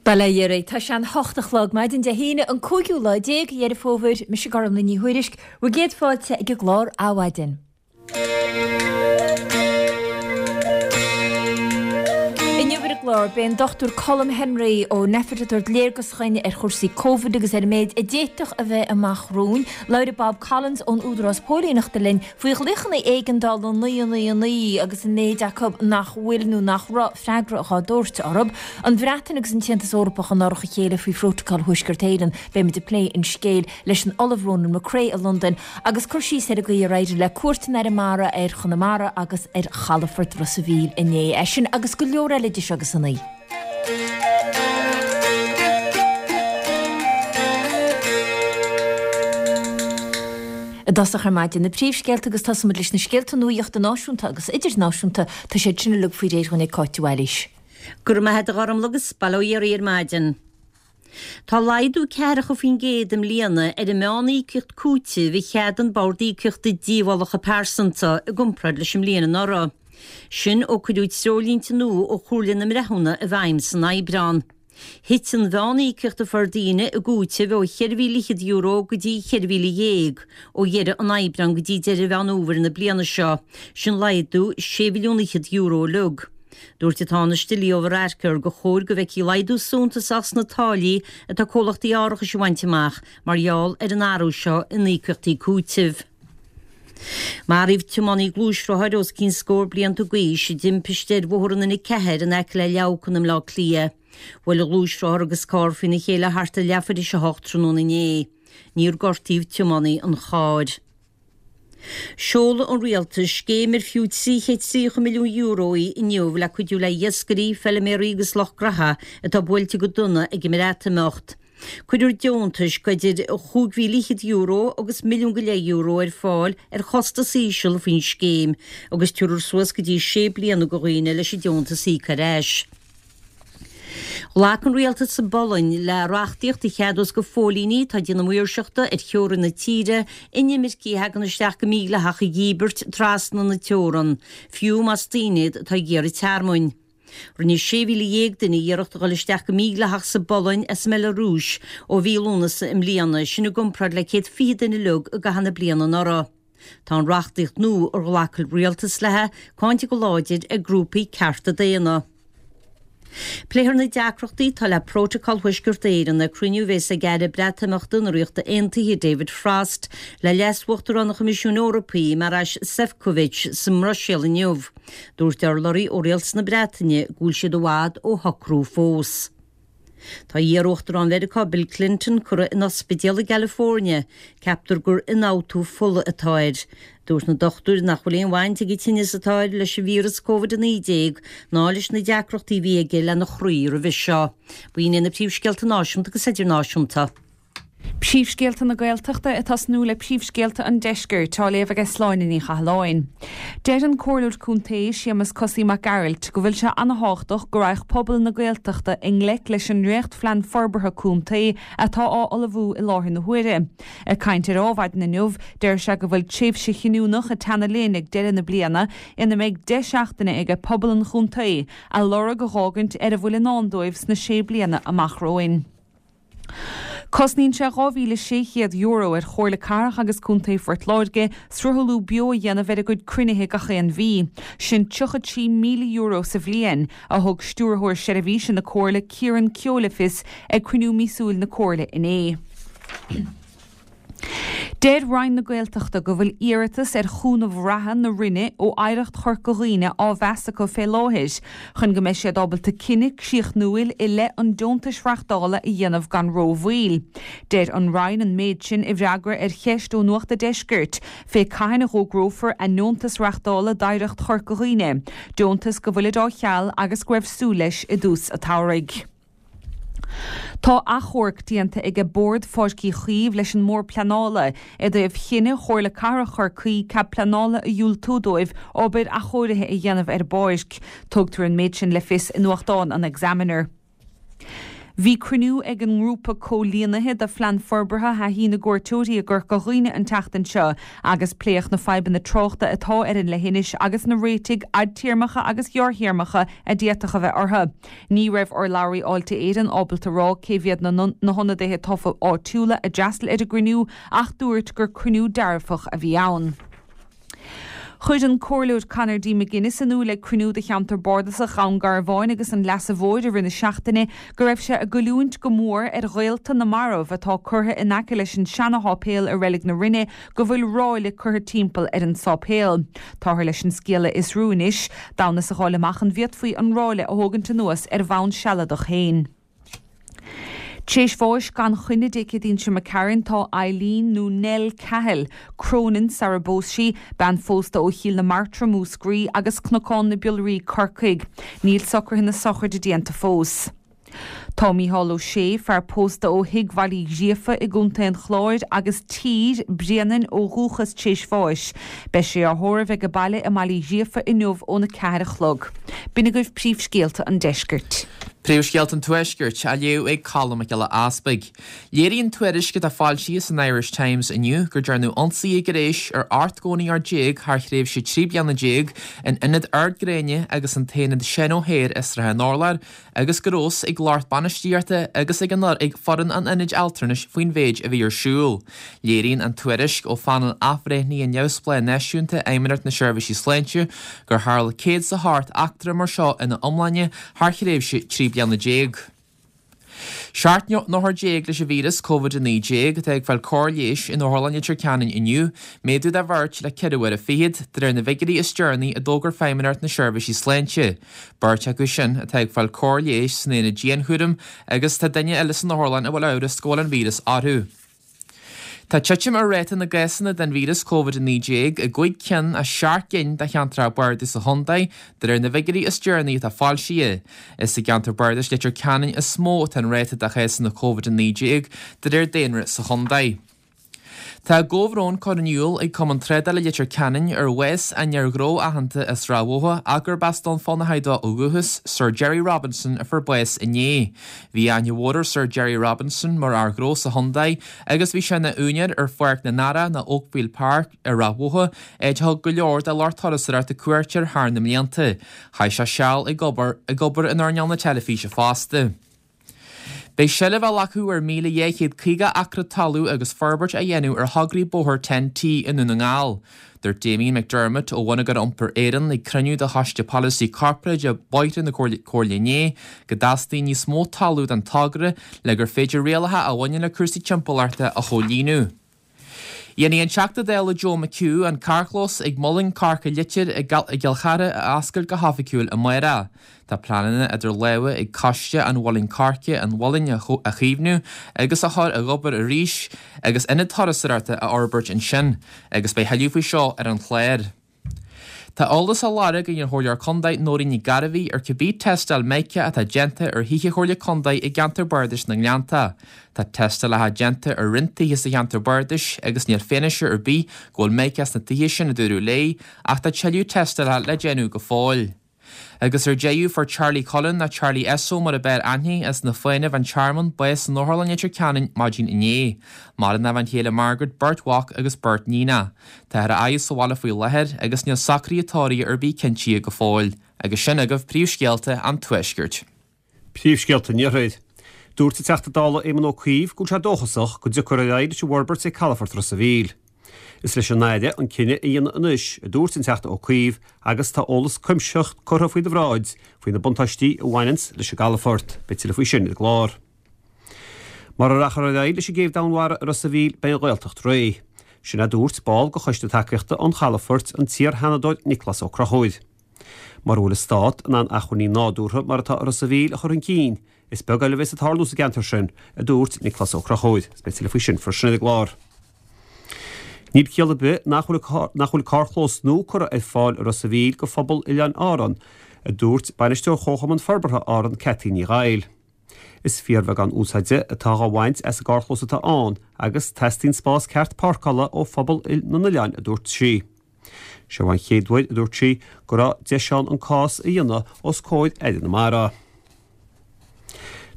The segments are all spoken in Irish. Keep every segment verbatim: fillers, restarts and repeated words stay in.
Bail ó Dhia oraibh. Tá sé an hocht a chlog maidin Dé hAoine an cúigiú lá déag Dheireadh Fómhair, mise Gormlaith Ní Thuairisg, bhur gcéad fáilte ag an gclár Adhmhaidin. Inniu ar an gclár, beidh an Dochtúir Colm Henry ó Nphet ag tabhairt léargas chugainn ar chúrsaí Covid agus ar an méid a d'fhéadfadh a bheith amach romhainn. Labhróidh Bob Collins ón Údarás Póilíneachta linn faoi ghlaochanna éigeandála naoi naoi naoi agus an méid acu nach bhfuil nó nach raibh freagra dhá dtabhairt orthu. An Bhreatain agus an tAontas Eorpach in árach a chéile faoi Phrótacal Thuaisceart Éireann. Beimid ag plé an scéil leis an Ollamh Ronan McCrea i Londain agus cur síos ar an gcaoi ar éirigh le cuairt an Aire Mara ar Chonamara agus ar chalafort Ros a' Mhíl inné. É sin agus go leor eile idir seo agus a naoi. I dtosach ar maidin, na príomhscéalta agus tosóimid leis na scéalta nuachta náisiúnta agus idirnáisiúnta, tá siad sin uilig faoi réir dhúinn ag Cáit de Bhailís. Go raibh maith agat a Ghormlaith agus bail ó Dhia oraibh ar maidin. Tá laghdú ceathracha faoin gcéad i mbliana ar an meán-íocaíocht cúitimh a cheadaigh an Bord Íocaíochta Díobhálacha Pearsanta i gcomparáid leis an mbliain anuraidh. Sin ó cuireadh treoirlínte nua ó Chomhairle na mBreithiúna i bhfeidhm san Aibreán. Thit an mheán-íocaíocht a fuair daoine i gcúiteamh ó cheithre mhíle fhichead euro go dtí cheithre mhíle dhéag ó dheireadh an Aibreáin go dtí deireadh Mheán Fhómhair na bliana seo, sin laghdú sé mhilliún fhichead euro uilig. Dúirt an Tánaiste Leo Varadkar gur chóir go bhfeicfí laghdú suntasach sna táillí atá comhlachtaí árachais a bhaint amach mar gheall ar an athrú seo in íocaíochtaí cúitimh. Maraíodh tiománaí gluaisrothair os cionn scór blianta d'aois i dtimpiste ar bhóthar an N a ceathair in aice le Leamhcán i mBleá Cliath. Bhuail an gluaisrothar agus carr faoina chéile thart ar leathuair théis a hocht tráthnóna inné. Níor gortaíodh tiománaí an chairr. Seolfaidh an Rialtas scéim ar fiú trí chéad tríocha milliún euro í inniu le cuidiú le hiascairí, feiliméaraí agus lucht graithe atá buailte go dona ag an mBreatimeacht. Cuirfear deontais idir chúig mhíle fhichead euro agus milliún go leith euro ar fáil ar chostas íseal faoin scéim agus tabharfar suas go dtí sé bliana do dhaoine leis an deontas a íoc ar ais. Ghlac an rialtas sa bPolainn le reachtaíocht a cheadós do phóilíní atá ag déanamh maoirseachta ar theorainn na tíre inimircigh a thagann isteach go mídhleathach a dhíbirt trasna na teorann, fiú más daoine iad atá ag iarraidh tearmainn. Rinne sé mhíle dhéag duine iarracht a dhul isteach go mídhleathach sa bPolainn as an mBeilearúis ó mhí Lúnasa i mbliana, sin i gcomparáid le céad fiche duine uilig i gcaitheamh na bliana anuraidh. Tá an reachtaíocht nua ar ghlac an rialtas léi cáinte go láidir ag grúpaí cearta daonna. Pléifear na deacrachtaí atá le Prótacal Thuaisceart Éireann ag cruinniú a bheas ag Aire Breatimeachta na Ríochta Aontaithe David Frost le Leas-Uachtarán an Choimisiúin Eorpaigh Maroš Šefčovič sa mBruiséil inniu. Dúirt urlabhraí ó Rialtas na Breataine go bhfuil siad i bhfad ó shocrú fós. Tá iar-Uachtarán Mheiriceá Bill Clinton curtha in ospidéal i gCalifornia. Ceaptar gur ionfhabhtú fola atá air. Dúirt na dochtúirí nach bhfuil aon bhaint ag an tinneas atá air leis an víreas Covid a naoi déag ná leis na deacrachtaí a bhí aige lena chroí roimhe seo. B'in iad na príomhscéalta náisiúnta agus idirnáisiúnta. Príomhscéalta na Gaeltachta ag tosnú le príomhscéalta an Deiscirt, á léamh aige Sláine Ní Chathalláin. Deir an Comhairleoir Contae, Séamus Cosaí Mac Gearailt, go bhfuil sé ana-thábhachtach go raghadh pobal na Gaeltachta i ngleic leis an ndréachtphlean forbartha contae atá á ullmhú i láthair na huaire. Ag caint ar Adhmhaidin inniu, deir sé go bhfuil tréimhse chinniúnach ag teannadh linn ag deireadh na bliana ina mbeidh deich seachtaine aige pobal an chontae a lorg a dh'fhágaint ar a bhfuil i ndán dóibh sna sé bliana amach romhainn. Cosnaíonn sé dhá mhíle sé chéad euro ar Chomhairle Cathrach agus Contae Phort Láirge sruthlú beo a dhéanamh ar a gcuid cruinnithe gach aon mhí. Sin tríocha trí míle euro sa bhliain, a thug Stiúrthóir Seirbhíse na Comhairle Ciaran Keogh le fios ag cruinniú míosúil na Comhairle inné. Deir Roinn na Gaeltachta go bhfuil iarratas ar chúnamh reatha na Roinne ó Oidhreacht Chorca Dhuibhne á mheas acu fé láthair chun go mbeidh siad ábalta cinneadh críochnúil i leith an deontais reachtála a dhéanamh gan rómhoill. Deir an Roinn an méid sin i bhfreagra ar cheist ó Nuacht a' Deiscirt fé cathain a dh'fhógrófar a ndeontas reachtála d'Oidhreacht Chorca Dhuibhne, deontas go bhfuilid á cheal agus go raibh súil leis i dtús a' tsamhraidh. Tá achomharc déanta aige Bord Pháirc Uí Chaoimh leis an mBord Pleanála i dtaobh chinneadh Chomhairle Cathrach Chorcaí cead pleanála a dhiúltú dóibh obair athchóirithe a dhéanamh ar an bpáirc. Tugtar an méid sin le fios i nuachtán an Examiner. Bhí cruinniú ag an ngrúpa comhlíonaithe do Phlean Forbartha Thaithí na gCuairteoirí i gCorca Dhuibhne an tseachtain seo agus pléadh na fadhbanna tráchta atá ar an leithinis agus na réitigh fhadtéarmacha agus ghearrthéarmacha a d'fhéadfadh a bheith orthu. Ní raibh urlabhraí Fháilte Éireann ábalta rá cé mhéad na na hionadaithe tofa áitiúla a d'fhreastail ar an gcruinniú ach dúirt gur cruinniú dearfach a bhí ann. Chuir an Comhairleoir Conor D. McGuinness in iúl ag cruinniú de cheantar bardasach Dhún Garbhán agus an Leasa Mhóir i rith na seachtaine go raibh sé ag goilliúint go mór ar ghaolta na marbh atá curtha in aice leis an seana-sháipéal i Reilig na Rinne go bhfuil ráille curtha timpeall ar an sáipéal. Táthar leis an scéal a fhiosrú anois, d'fhonn is a fháil amach an bhféadfaí an ráille a thógaint anuas ar bhonn sealadach féin. Tréis bháis gan choinne Dé Céadaoin seo imigh tharainn tá Eileen nó Nell Cahill, Cronin sara bpós sí, bean phósta ó Chill na Martra Múscraí agus Cnocán na Biolraí Corcaigh. Níl socruithe na sochraide déanta fós. Tá Mícheál Ó Sé, fear pósta ó Thigh Bhaile Uí Ghríofa i gContae an Chláir agus Tír Bréanainn ó dhúchas tréis bháis. Beidh sé á thórramh ag baile i mBaile Uí Ghríofa inniu óna ceathair a chlog. B'in agaibh príomhscéalta an deiscirt. Príomhscéalta an Tuaiscirt á léamh ag Colm Mac Giolla Easpaig. Léiríonn tuairisc atá foilsithe san Irish Times inniu gur dearnadh ionsaithe gnéis ar ocht gcónaitheoir déag thar thréimhse trí bliana déag in Ionad Ard Gréine agus an tAonad Seán O'Hare i Srath an Urláir agus go raibh a fhios ag lucht bainistíochta agus ag an ag foireann an ionaid altranais faoin mhéid a bhí ar siúl. Léiríonn an tuairisc ó phainéal athbhreithnithe neamhspleách náisiúnta Fheidhmeannacht na Seirbhísí Sláinte gur tharla céad is a hocht eachtra mar seo ina iomláine thar thréimhse trí bliana déag. Seacht n-othar déag leis an víreas Covid a naoi déag atá ag fáil cóir leighis in Otharlann Leitir Ceanainn inniu, méadú de bheirt le ceithre uaire fichead, de réir na bhfigiúirí is deireanaí a d'fhógair Feidhmeannacht na Seirbhísí Sláinte. Beirt acu sin atá ag fáil cóir leighis san aonad dianchúraim agus tá duine eile san otharlann a bhfuil amhras go bhfuil an víreas orthu. Tá titim ar ráta na gcásanna den víreas Covid a naoi déag i gcúig cinn as seacht gcinn de cheantracha bardais sa chontae, de réir na bhfigiúirí is deireanaí atá foilsithe. Is i gceantar bardais Leitir Ceanainn is mó atá an ráta de chásanna Covid a naoi déag de réir daonra sa chontae. Tá comhbhrón curtha in iúl ag Cumann Trádála Leitir Ceanainn ar bhás an fhir ghnó aitheanta as Ráth Bhoth ach gurb as Dún Fionnachaidh dó ó dhúchas, Sir Gerry Robinson a fuair bás inné. Bhí aithne mhór ar Sir Gerry Robinson mar fhear gnó sa chontae agus bhí sé ina úinéir ar Pháirc na nDarach nó Oakfield Park i Ráth Bhoth, áit a thug go leor de lucht turasóireachta cuairt air thar na mblianta. Chaith sé seal ag obair ag obair in earnáil na teilifíse fosta. Beidh seilbh á glacadh ar míle dhá chéad caoga acra talún agus forbairt á dhéanamh ar thograí bóthair Ten T i nDún na nGall. Dúirt Damien McDermott ó Bhonneagar Iompair Éireann ag cruinniú de Choiste Polasaí Corparáide Bóithre na Comhairle inné go dteastaíonn níos mó talún don togra le gur féidir rialacha a bhaineann le cúrsaí timpeallachta a chomhlíonadh. Dhéanfaidh an Teachta Dála Joe McHugh an carrchlós ag Muileann Coirce Leitir i gCill Chartha a oscailt go hoifigiúil amárach. Tá pleananna idir lámha ag Coiste an Mhuilinn Coirce an Mhuilinn a chaomhnú agus a chur ag obair arís agus ionad turasóireachta a fhorbairt ansin, agus beidh tuilleadh faoi seo ar an chlár. Tá eolas á lorg ag an Chomhairleoir Contae Nóirín Nic Gairbhí ar cibé tástáil mica atá déanta ar thithe Chomhairle Contae i gceantar Bardais na nGleannta. Tá tástálacha déanta ar roinnt tithe sa cheantar Bardais agus níl fianaise ar bith go bhfuil mica sna tithe sin a dúradh léi, ach tá tuilleadh tástálacha le déanamh go fóill. Agus ar deireadh fuair Charlie Cullen nó Charlie Esso mar ab fhearr aithne as na Fánaibh an Tearmann bás san Otharlann Leitir Ceanainn maidin inné. Maireann a bhean chéile Margaret beirt mhac agus beirt níonacha. Táthar á fhaire sa bhaile faoi láthair agus níl socruithe tórraimh ar bith cinntithe go fóill. Agus sin agaibh príomhscéalta an Tuaiscirt. Príomhscéalta an Iarthair. Dúirt an Teachta Dála Éamon Ó Cuív go bhfuil sé dóchasach go dtiocfar ar aghaidh leis an bhforbairt ag Calafort Ros an Mhíl. Is leis an Aire an cinneadh a dhéanamh anois, a dúirt an Teachta Ó Cuív, agus tá eolas cuimsitheach curtha faoina bhráid faoi na buntáistí a bhaineanns leis an gcalafort. Beidh tuilleadh faoi sin ar an gclár. Mara rachfar ar aghaidh leis an gcéibh Danmhara i Ros an Mhíl beidh an Ghaeltacht réidh. Sin a dúirt ball de choiste tacaíochta an chalafoirt an t-iar-Sheanadóir Nioclás Ó Conchúir. Mura bhfuil an stát in ann acmhainní nádúrtha mar atá i Ros an Mhíl a chur chun cinn, is beag eile a bheas ag tarlú sa gceantar sin, a dúirt Nioclás Ó Conchúir. Beidh tuilleadh faoi sin freisin ar an gclár. Níl ciall ar bith nach bhfuil nach bhfuil carrchlós nua curtha ar fáil i Ros an Mhíl do phobal Oileáin Árann, a dúirt bainisteoir Chomharchumann Forbartha Árann Cathy Ní Ghaill. Is fíorbheagán úsáide atá á bhaint as an gcarrchlós atá ann agus teastaíonn spás ceart páirceála ó phobal na n-oileán, a dúirt sí. Seo an chéad uair, a dúirt sí, go raibh deis ann an cás a dhéanamh os comhair Aire na Mara.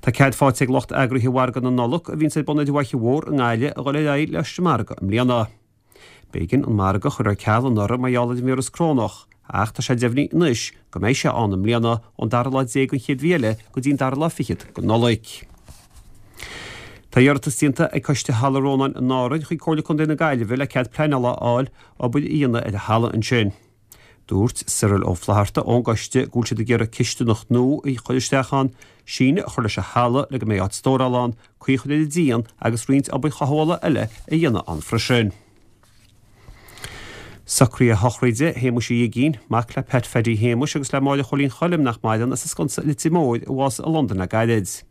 Tá cead faighte ag lucht eagraithe mhargadh na Nollag a bhíonns ar bun ar an bhFaiche Mhór i nGaillimh a dhul ar aghaidh leis an margadh i mbliana. B'éigean an margadh a chur ar ceal anuraidh mar gheall ar an víreas corónach, ach tá sé deimhnithe anois go mbeidh sé ann i mbliana ón dara lá déag den chéad mhí eile go dtí an dara lá fichead de Nollaig. Tá iarratas déanta ag Coiste Halla Rónáin in Árainn chuig Comhairle Contae na Gaillimhe le cead pleanála a fháil obair a dhéanamh ar an halla ansin. Dúirt Cyril Ó Flatharta ón gcoiste go bhfuil siad ag iarraidh cistineach nua a chur isteach ann, síneadh a chur leis an halla le go mbeidh áit stórála ann, caoi a chur ar an díon agus roinnt obair chothabhála eile a dhéanamh ann freisin. Socruithe sochraide Shéamuis Uí Uigínn, mac le Pat Phaddy Shéamuis agus le Máire Chóilín Choilm nach maireann as an Sconsa i Leitir Móir a bhásaigh i Londain le gairid.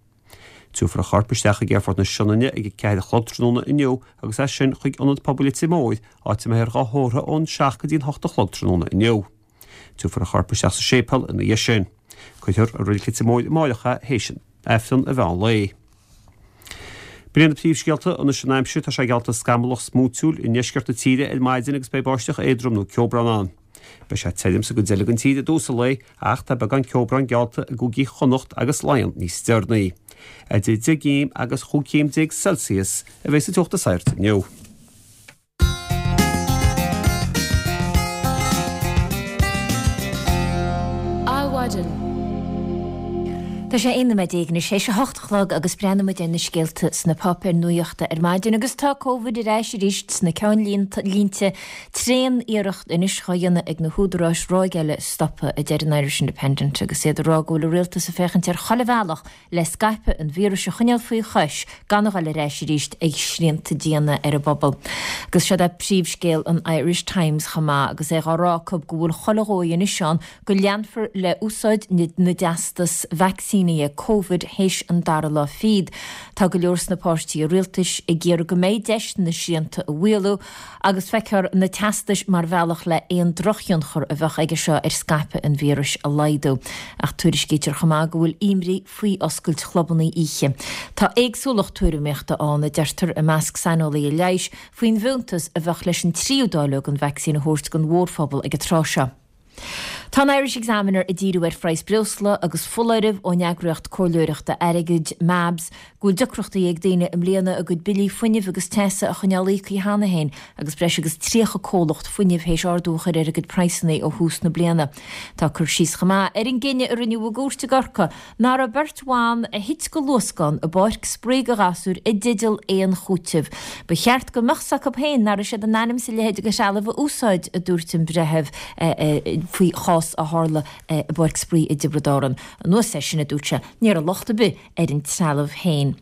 Tabharfar a chorp isteach ag Aerfort na Sionainne ag a ceathair a chlog tráthnóna inniu agus as sin chuig Ionad Pobail Leitir Móir, áit a mbeifear dhá thórramh ón seacht go dtí an hocht a chlog tráthnóna inniu. Tabharfar a chorp isteach sa séipéal ina dhiaidh sin. Cuirfear i Reilig Leitir Móir amáireach é théis Aifreann an mheán lae. B'in iad na príomhscéalta anois an aimsir, tá sé geallta scamallach smúitiúil i ndeisceart na tíre ar maidin agus beidh báisteach éadrom nó ceobhrán ann. Beidh sé tirim sa gcuid eile den tír i dtús an lae ach tá beagán ceobhrán geallta i gcúigí Chonnacht agus Laighean níos deireanaí. Idir deich gcéim agus chúig chéim déag Celsius a bheidh sa teocht is airde inniu. Adhmhaidin. Tá sé aon nóiméad déag anois théis a hocht a chlog agus breathnóidh muid ar na scéalta sna páipéir nuachta ar maidin agus tá Covid ar ais arís sna ceannlínte. Tréan-iarracht anois dhá dhéanamh ag na húdaráis ráig eile a stopadh, a deir an Irish Independent agus iad ag rá go bhfuil an rialtas ag féachaint ar chuile bhealach le scaipeadh an víris a choinneáil faoi chois gan a dhul ar ais arís ag srianta diana ar an bpobal. Agus seo é príomhscéal an Irish Times chomh maith agus é dhá rá acu go bhfuil chuile dhóigh anois ann go leanfar le úsáid na dteastas vacsaínithe Covid théis an dara lá fichead. Tá go leor sna páirtithe rialtais ag iarraidh go mbeidh deis na srianta a mhaolú agus feictear na teastais mar bhealach le aon drochthionchar a bheadh aige seo ar scaipeadh an víris a laghdú. Ach tuairiscítear chomh maith go bhfuil imní faoi oscailt chlubanna oíche. Tá éagsúlacht tuairimíochta ann, a deirtear i measc saineolaithe leighis, faoin bhfiúntas a bheadh leis an tríú dáileog den vacsaín a thabhairt don mhórphobal ag an tráth seo. Tá an Irish Examiner ag díriú ar phraghas breosla agus foláireamh ón eagraíocht comhairleoireachta airgid, MABS, go bhfuil deacrachtaí ag daoine i mbliana a gcuid billí fuinnimh agus teasa a choinneáil íoctha cheana féin agus breis agus tríocha comhlacht fuinnimh théis ardú a chur ar a gcuid praghsanna ó thús na bliana. Tá cur síos chomh maith ar an gcinneadh a rinneadh i gcúirt i gCorcaigh nach raibh beirt bhan a thit de luascán i bpáirc spraoi do ghasúir i dteideal aon chúiteamh. Ba cheart go mbeadh 's acu féin nach raibh siad in ainm is a leithéid de threalamh a úsáid, a dúirt an breitheamh faoi chás a tharla i bpáirc spraoi i dTiobraid Árann. Anuas air sin, a dúirt sé, ní raibh locht ar bith ar an trealamh féin.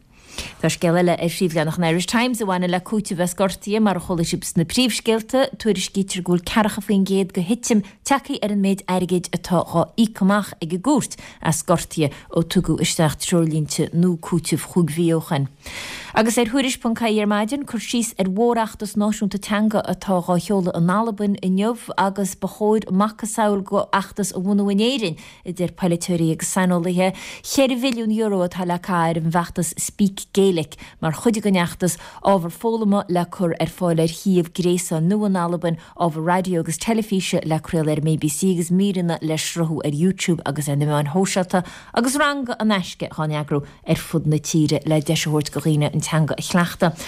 Tá scéal eile ar phríomhleathanach an Irish Times a bhaineann le cúiteamh as gortuithe, mar a chuala sibh sna príomhscéalta, tuairiscítear go bhfuil ceathracha faoin gcéad de thitim tagtha ar an méid airgid atá dhá íoc amach ag an gcúirt as gortuithe ó tugadh isteach treoirlínte nua cúitimh chúig mhí ó shin. Agus ar Thuairisc ponc ie ar maidin, cur síos ar mhórfheachtas náisiúnta teanga atá dhá sheoladh in Albain inniu agus ba chóir macasamhail de fheachtas a bhunú in Éirinn, a deir polaiteoirí agus saineolaithe. Ceithre mhilliún euro atá le caitheamh ar an bhfeachtas Speak Gaelic mar chuid den fheachtas, ábhar foghlama le cur ar fáil ar shuíomh gréasáin nua in Albain, ábhar raidió agus teilifíse le craoladh ar an mBBC agus míreanna le sruthú ar YouTube agus ar na meáin shóisialta agus ranga in aisce dhá n-eagrú ar fud na tíre le deis a thabhairt do dhaoine an teanga a chleachtadh.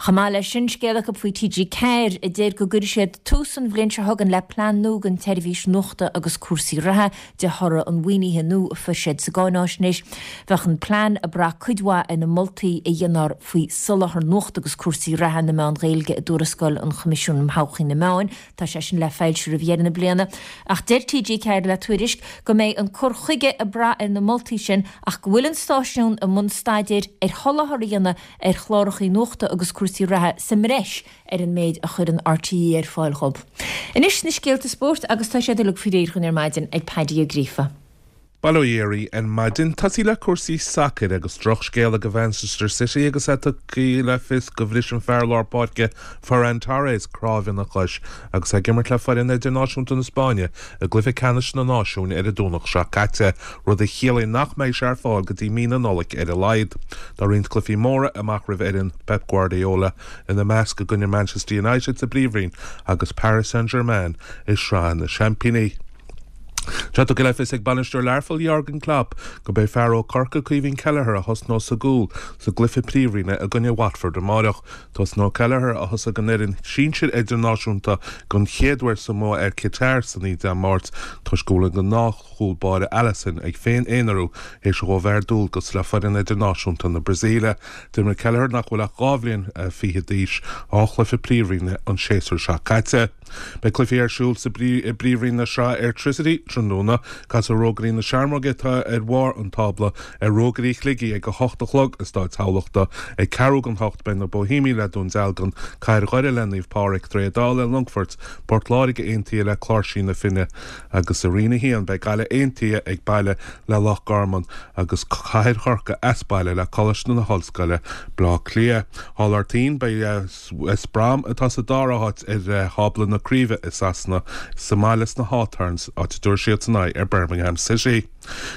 Chomh maith leis sin, scéal acu faoi T G ceathair a deir go gcuirfidh siad tús an bhliain seo chugainn le plean nua don tseirbhís nuachta agus cúrsaí reatha de thoradh an mhaoinithe nua a fuair siad sa gcáináisnéis. Bheadh an plean ag brath cuid mhaith ar na moltaí a dhéanfar faoi soláthar nuachta agus cúrsaí reatha na meán Gaeilge i dtuarascáil an Choimisiúin um Thodhchaí na Meán. Tá sé sin le foilsiú roimh dheireadh na bliana. Ach deir T G ceathair le Tuairisc go mbeidh an cur chuige ag brath ar na moltaí sin ach go bhfuil an stáisiún i mbun staidéir ar sholáthar a dhéanamh ar chláracha nuachta agus cúrsaí reatha sa mbreis ar an méid a chuireann R T É ar fáil dhóibh. Anois na scéalta spóirt agus tá siad uilig faoi réir dhúinn ar maidin ag Paddy Ó Gríofa. Bail ó Dhia oraibh ar maidin. Tosaí le cúrsaí sacair agus drochscéala do Mhanchester City agus é tugtha le fios gur bhris an fear lár páirce Ferran Torres cnámh ina chois agus é ag imirt le foireann idirnáisiúnta na Spáinne i gcluiche ceannais na Náisiún ar an Domhnach seo caite, rud a chiallaíonn nach mbeidh sé ar fáil go dtí mí na Nollag ar a laghad. Tá roinnt cluichí móra amach roimh fhoireann Pep Guardiola, ina measc i gcoinne Manchester United sa bPríomhroinn agus Paris Saint-Germain i Sraith na Seaimpíní. Tá tugtha le fios ag bainisteoir Learpholl Jurgen Klopp gurb é fear ó Chorcaigh Caoimhín Kelleher a thosnós sa gcúl sa gcluiche Príomhroinne i gcoinne Watford amáireach. Tosnóidh Kelleher, a thosaigh don fhoireann sinsir idirnáisiúnta don chéad uair sa mbua ar Qatar san oíche Dé Máirt, toisc go bhfuil an gnáthchúl báire Alisson ag féin-aonarú théis dhó bheith ar dualgas le foireann idirnáisiúnta na Brasaíle. D'imir Kelleher, nach bhfuil ach dhá bhliain fichead d'aois, dhá chluiche Príomhroinne an séasúr seo caite. Beidh cluichí ar siúl sa bPríomhroinn na Sraithe Airtricity tráthnóna. Casfaidh Rógairí na Seamróige, atá ar bharr an tábla, ar Rógairí Shligigh ag a hocht a chlog i Stáid Thamhlachta. Ag ceathrú don hocht beidh na Boihéamaigh le Dún Dealgan, Cathair Dhoire le Naomh Pádraig, Droichead Átha le Longfort, Port Láirge Aontaithe le Cláirsí na Finne agus i Roinn a haon beidh Gaillimh Aontaithe ag baile le Loch Garman agus Cathair Chorcaí as baile le Coláiste na hOllscoile, Bleá Cliath. Thall Artaín beidh West Brom, atá sa dara háit ar thábla na craoibhe i Sasana, sa mbaile sna Hawthorns, áit a dtabharfaidh siadsan aghaidh ar Birmingham City.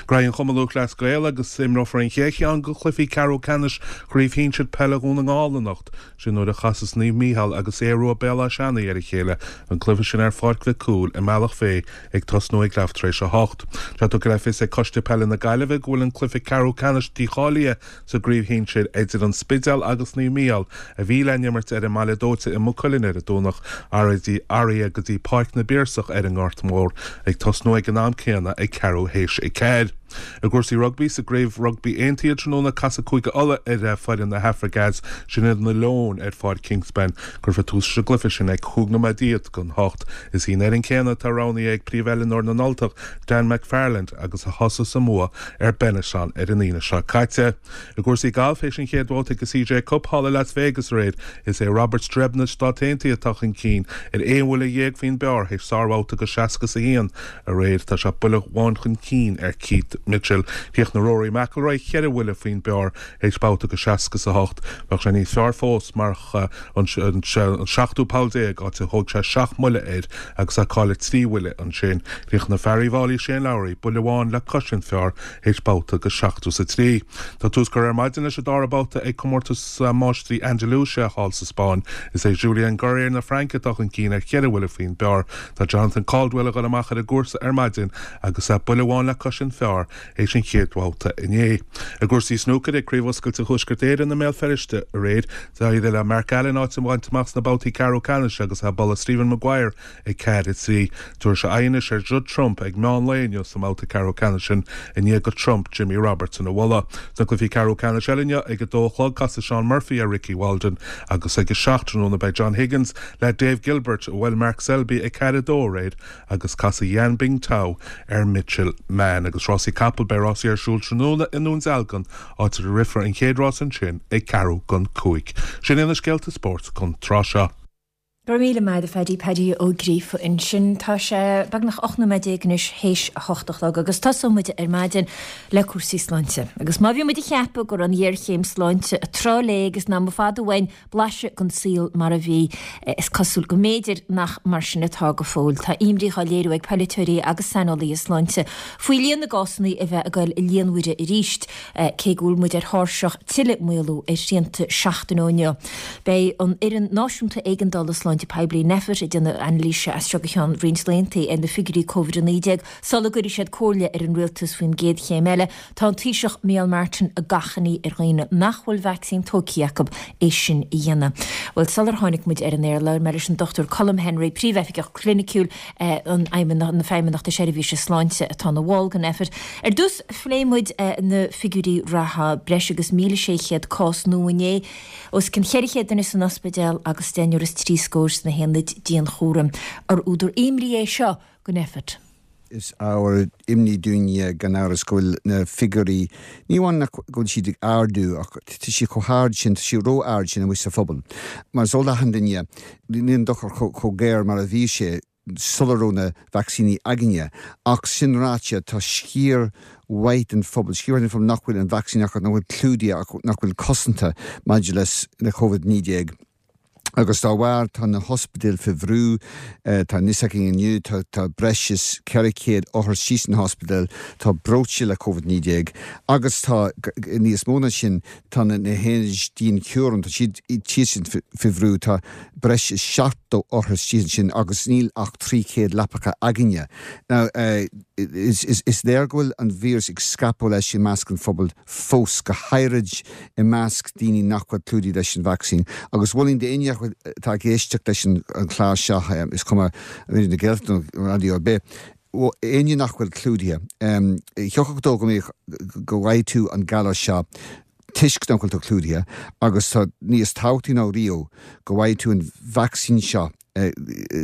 Gnóthaigh an Cumann Lúthchleas Gael agus imreofar an chéad cheann de chluichí ceathrú ceannais Chraobh Shinsir Peile Dhún na nGall anocht, sin nuair a chasas Naomh Mícheál agus Aodh Rua Béal Átha Seanaidh ar a chéile, an cluiche sin ar Pháirc Mhic Cumhaill i mBealach Féich ag tosnú ag leath tar éis a hocht. Tá tugtha le fios ag Coiste Peile na Gaillimhe go bhfuil an cluiche ceathrú ceannais dícháilithe sa gcraobh shinsir idir An Spidéal agus Naomh Mícheál, a bhí le n-imirt ar an mBaile Dóite i Maigh Cuilinn ar an Domhnach, athraithe go dtí Páirc na bPiarsach ar an nGort Mór, ag tosnú ag an am céanna ag ceathrú théis a ceathair. I gcúrsaí rugbaí, sa gCraobh Rugbaí Aontaithe tráthnóna, casfaidh Cúige Uladh ar foireann na hAfraice Theas, sin iad na Leoin, ar Pháirc Kingspan. Cuirfear tús leis an gcluiche sin ag cúig nóiméad déag don hocht. Is í an fhoireann céanna atá roghnaithe ag príomhoiliúnóir na nUltach, Dan McFarland, agus a thosaigh sa mbua ar Benetton ar an Aoine seo caite. I gcúrsaí gailf, théis an chéad bhabhta de CJ Cup thall i Las Vegas aréir, is é Robert Streb na Stát Aontaithe atá chun cinn ar aon bhuille dhéag faoin bpar théis sárbhabhta de seasca is a haon aréir. Tá sé buille amháin chun cinn ar Keith Mitchell. Chríochnaigh Rory McIlroy ceithre bhuille faoin bpar théis babhta de seasca is a hocht. Bheadh sé níos fearr fós marach an seachtú poll déag, áit a thóg sé seacht mbuille air agus é ag cailleadh trí bhuille ansin. Chríochnaigh fear Uíbh Fhailí Shane Lowry buille amháin le cois an phar théis babhta de seachtó is a trí. Tá tús curtha ar maidin leis an dara babhta ag Comórtas Máistrí Andalusia thall sa Spáinn. Is é Julien Guerrier na Fraince atá chun cinn ar cheithre bhuille faoin bpar. Tá Jonathan Caldwell ag dul amach ar an gcúrsa ar maidin agus é buille amháin le cois an phar théis an chéad bhabhta inné. I gcúrsaí snúcair ag Craobh Oscailte Thuaisceart Éireann i mBéal Feirste aréir, d'éirigh le Mark Allen áit a bhaint amach sna babhtaí ceathrú ceannais agus é ag bualadh Stephen Maguire ag ceathair a trí. Tabharfaidh sé aghaidh anois ar Judd Trump ag meán lae inniu sa mbabhta ceathrú ceannais sin i ndiaidh do Trump Jimmy Robertson a bhualadh. Sna cluichí ceathrú ceannais eile inniu ag a dó a chlog casfaidh Shaun Murphy ar Ricky Walden agus ag a seacht tráthnóna beidh John Higgins le Dave Gilbert a bhuail Mark Selby ag ceathair a dó aréir agus casfaidh Yan Bingtao ar Mitchell Mann. Agus rásaí capall, beidh rásaí ar siúl tráthnóna i nDún Dealgan áit a rithfear an chéad rás ansin ag ceathrú don cúig. Sin iad na scéalta spóirt don tráth seo. Go raibh míle maith agat a Phaddy, Paddy Ó Gríofa ansin. Tá sé beagnach ocht nóiméad déag anois théis a hocht a chlog agus tosóidh muid ar maidin le cúrsaí sláinte. Agus má bhí muid ag ceapadh go raibh an ghéarchéim sláinte ag trá léi agus nach mba fada uainn blaiseadh den saol mar a bhí, is cosúil go mb'fhéidir nach mar sin atá go fóill. Tá imní á léiriú ag polaiteoirí agus saineolaithe sláinte faoi líon na gcásanna a bheith ag dul i líonmhaire arís, cé go bhfuil muid ar thairseach tuilleadh maolú ar shrianta seachtain ó inniu. Beidh an Fhoireann Náisiúnta Éigeandála Sláinte Poiblí, Nphet, ag déanamh anailíse as seo go ceann roinnt laethanta ar na figiúirí Covid a naoi déag sula gcuirfidh siad comhairle ar an rialtas faoin gcéad chéim eile. Tá an Taoiseach Micheál Martin ag achainí ar dhaoine nach bhfuil vacsaín tógtha acu é sin a dhéanamh. Bhuel, sular tháinig muid ar an aer, labhair mé leis an Dochtúir Colm Henry, Príomhoifigeach Cliniciúil an na Feidhmeannachta Seirbhíse Sláinte atá ina bhall den Nphet. Ar dtús, phléigh muid na figiúirí reatha, breis agus míle sé chéad cás nua inné, os cionn cheithre chéad duine san ospidéal agus deichniúr is trí scór sna haonaid dianchúraim. Ar údar imní é seo do Nphet? Is ábhar imní dúinne gan amhras go bhfuil na figiúirí, ní amháin nach go bhfuil siad ag ardú ach tá siad chomh hard sin, tá siad ró-ard sin amuigh sa phobal. Mar is eol d'achan duine, níl an dochar chomh géar mar a bhí sé sula raibh na vacsaíní againne. Ach sin ráite, tá sciar mhaith den phobal, sciar mhaith den phobal nach bhfuil an vacsaín acu, nach bhfuil clúdaithe, nach bhfuil cosanta maidir le Covid naoi déag. Agus dá bharr tá na hospidéil faoi bhrú, tá a fhios againn inniu, tá tá breis is ceithre chéad othar síos sna hospidéil, tá breoite le Covid naoi déag agus tá níos mó ná sin, tá na na haonaid dianchúraim, tá siad thíos faoi bhrú, tá breis is seachtó othar síos ansin agus níl ach trí chéad leapacha againne. Now is is is léir go bhfuil an víreas ag scaipeadh leis i measc an phobail fós, go háirid i measc daoine nach bhfuil clúdaithe leis an vacsaín agus mholfainn d'éinne atá ag éisteacht leis an chlár seo, is cuma Raidió na Gaeltachta nó raidió ar bith, éinne nach bhfuil clúdaithe, thiocfadh dó go mbeadh, go bhfaighidh tú an galar seo toisc nach bhfuil tú clúdaithe agus tá níos tábhachtaí ná riamh go bhfaighidh tú an vacsaín seo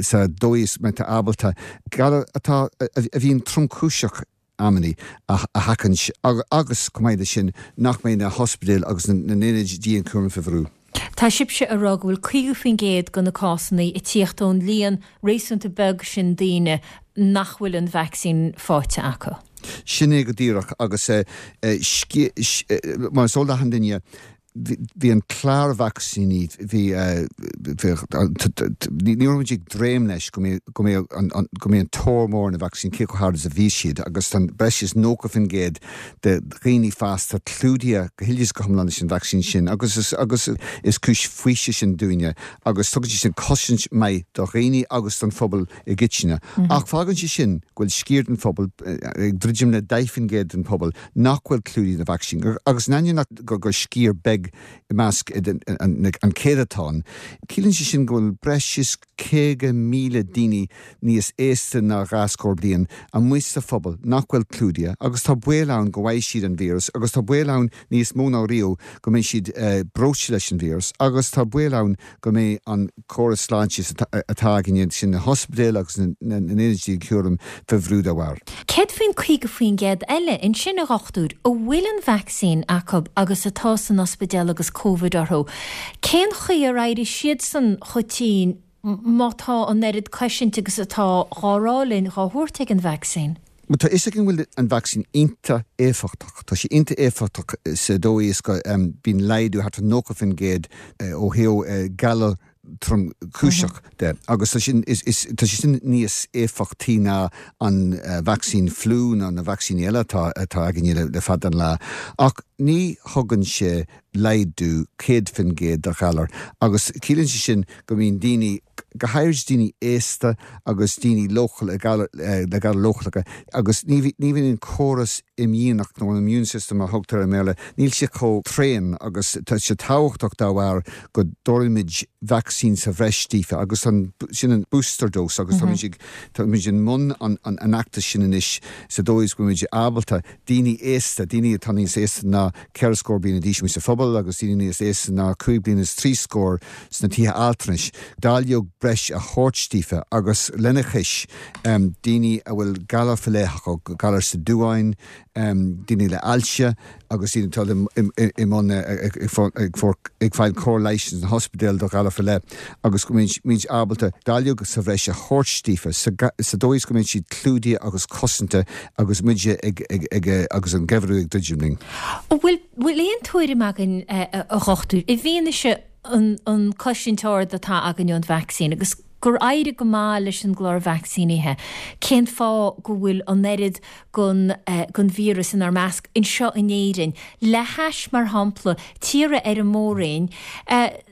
sa dóigh is mbeidh tú ábalta galar atá, a bhíonn tromchúiseach amannaí a sheachaint agus, chomh maith leis sin, nach mbeidh na hospidéil agus na n-ionaid dianchúraim faoi bhrú. Tá sibhse ag rá go bhfuil caoga faoin gcéad de na cásanna ag tíocht ón líon réasúnta beag sin daoine nach bhfuil an vacsaín faighte acu. Sin é go díreach agus mar is eol d'achan duine, bhí an clár vacsaíní, bhí, ní raibh muid ag dréim leis go mbeadh, go mbeadh an, go mbeadh an tóir mór ar na vacsaíní, cé chomh hard is a bhí siad agus tá breis is nócha faoin gcéad de dhaoine fásta clúdaithe go huile is go hiomlán leis an vacsaín sin agus is, agus is cúis faoisimh sin dúinne agus tugann sé sin cosaint maith do dhaoine agus don phobal i gcoitinne. Ach fágann sé sin go bhfuil sciar den phobal, ag druidim le deich faoin gcéad den phobal, nach bhfuil clúdaithe le vacsaín agus in ainneoin gur sciar beag i measc an céadatán, ciallaíonn sé sin go bhfuil breis is caoga míle daoine níos aosta ná dhá scór bliain amuigh sa phobal nach bhfuil clúdaithe agus tá baol ann go bhfaighidh siad an víreas agus tá baol ann níos mó ná riamh go mbeidh siad breoite leis an víreas agus tá baol ann go mbeidh an córas sláinte atá againne, sin na hospidéil agus na n-ionaid dianchúraim, faoi bhrú dá bharr. Céard faoin caoga faoin gcéad eile ansin, a dhochtúir, a bhfuil an vacsaín acu agus atá san ospidéal agus Covid orthu? Cén chaoi ar éirigh siadsan chomh tinn má tá an oiread cosaint agus atá dhá rá linn dhá thabhairt ag an vacsaín? Bhuel, tá fhios againn go bhfuil an vacsaín iontach éifeachtach. Tá sé iontach éifeachtach sa dóigh is go mbíonn laghdú thart ar nócha faoin gcéad ó thaobh galar tromchúiseach de agus tá sin, is, is, tá sé sin níos éifeachtaí ná an vacsaín fliú nó na vacsaíní eile atá, atá againne le, le fada an lá. Ach ní thugann sé laghdú céad faoin gcéad do ghalar agus ciallaíonn sé sin go mbíonn daoine, go háirid daoine aosta agus daoine leochaileacha, le galair leochaileacha agus ní bhíonn an córas imdhíonach nó an immune system a thugtar i mBéarla, níl sé chomh tréan agus tá sé tábhachtach dá bharr go dtabharfaimid vacsaín sa bhreis daofa agus sin an booster dose agus táimid ag, táimid i mbun an fheachtais sin anois sa dóigh is go bhfuilimid ábalta daoine aosta, daoine atá níos aosta ná ceithre scór bliana d'aois amuigh sa phobal agus daoine níos aosta ná cúig bliana is trí scór sna tithe altranais, dáileog breis a thabhairt daofa agus lena chois, daoine a bhfuil galar faoi leith acu, galar sa duáin, daoine le ailse agus daoine atá i mbun ag fáil cóir leighis sna hospidéil do ghalar faoi leith agus go mbeimid ábalta dáileog sa bhreis a thabhairt daofa sa dóigh is go mbeidh siad clúdaithe agus cosanta agus muid ag agus an geimhreadh ag druidim linn. An bhfuil aon tuairim againn, a dhochtúir, i bhfianaise an cosaint ard atá againn ón vacsaín agus gur éirigh go maith leis an gclár vacsaínithe, cén fáth go bhfuil an oiread den víreas inár measc anseo in Éirinn, le hais, mar shampla, tíortha ar an mór-roinn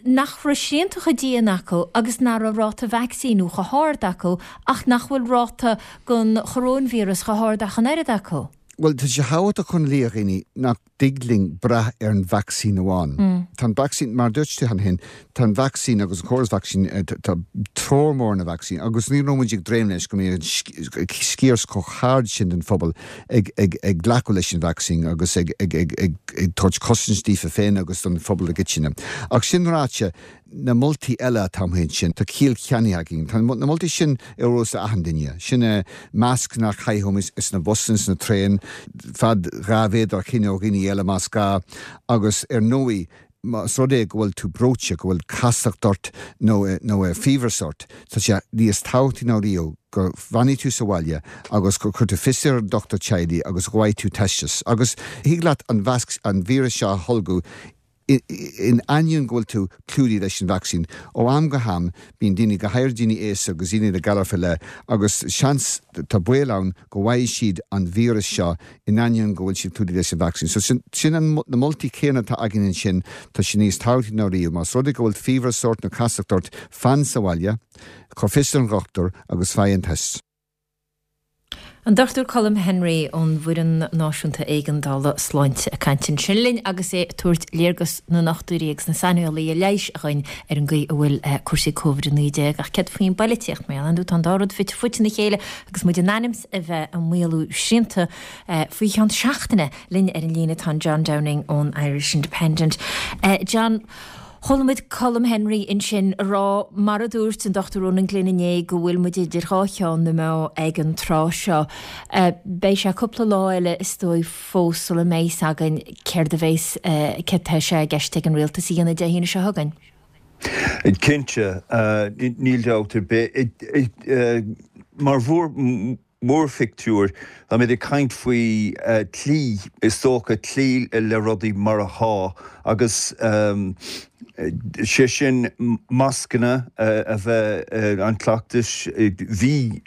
nach raibh srianta chomh dian acu agus nach raibh ráta vacsaíniú chomh hard acu ach nach bhfuil ráta den choróinvíreas chomh hard ach an oiread acu? Bhuel, tá sé tábhachtach chun léiriú do dhaoine nach dtig linn brath ar an vacsaín amháin. Tá an vacsaín, mar a dúirt tú cheana féin, tá an vacsaín agus an córas vacsaín, tá tóir mór ar na vacsaíní agus ní raibh muid ag dréim leis go mbeadh an sciar chomh hard sin den phobal ag glacadh leis an vacsaín agus ag tabhairt cosaint daofa féin agus don phobal i gcoitinne. Ach sin ráite, na moltaí eile atá amuigh ansin, tá ciall ceannaithe againn. Tá na moltaí sin ar eolas d'achan duine. Sin é mascanna a chaitheamh sna busanna, sna traein, fad dhá mhéadar a choinneáil ó dhaoine eile más gá, agus ar ndóigh, más rud é go bhfuil tú breoite, go bhfuil casacht ort nó nó fiabhras ort, tá sé níos tábhachtaí ná riamh go bhfanfaidh tú sa bhaile agus go gcuirfidh tú fios ar an dochtúir teaghlaigh agus go bhfaighidh tú teisteas. Agus thig leat an víreas seo a tholgadh. In ainneoin go bhfuil tú clúdaithe leis an vacsaín, ó am go ham bíonn daoine, go háirithe daoine aosta agus daoine le galar faoi leith, agus seans, tá baol ann go bhfaighidh siad an víreas seo in ainneoin go bhfuil siad clúdaithe leis an vacsaín. So sin, sin an, na moltaí céanna atá againn ansin, tá sé níos tábhachtaí ná riamh. Más rud é go bhfuil fiabhras ort nó casacht ort, fan sa bhaile, cuir fios ar an dhochtúir agus faigh an test. An Dochtúir Colm Henry ón bhFoireann Náisiúnta Éigeandála Sláinte ag caint ansin linn agus é ag tabhairt léargas na ndochtúirí agus na saineolaithe leighis againn ar an gcaoi a bhfuil cúrsaí Covid a naoi déag. Ach céard faoin bpoilitíocht? Mar ar ndóigh tá an dá rud fite fuaite ina chéile agus muid in ainm is a bheith ag maolú srianta faoi cheann seachtaine. Linn ar an líne tá an John Downing ón Irish Independent. John, Chuala muid Colm Henry ansin a rá, mar a dúirt an Dochtúir Ronan Glynn inné, go bhfuil muid idir dhá cheann na meá ag an tráth seo. Beidh sé cúpla lá eile is dóigh fós sula mbeidh fhios againn céard a bheas, céard tá sé i gceist ag an rialtas a dhéanamh Dé hAoine seo chugainn. Cinnte, níl dabht ar bith. Mar mhórphictiúr, táimid ag caint faoi cloí, is dócha, cloí le rudaí mar atá agus sé sin mascanna a bheith, an cleachtas, bhí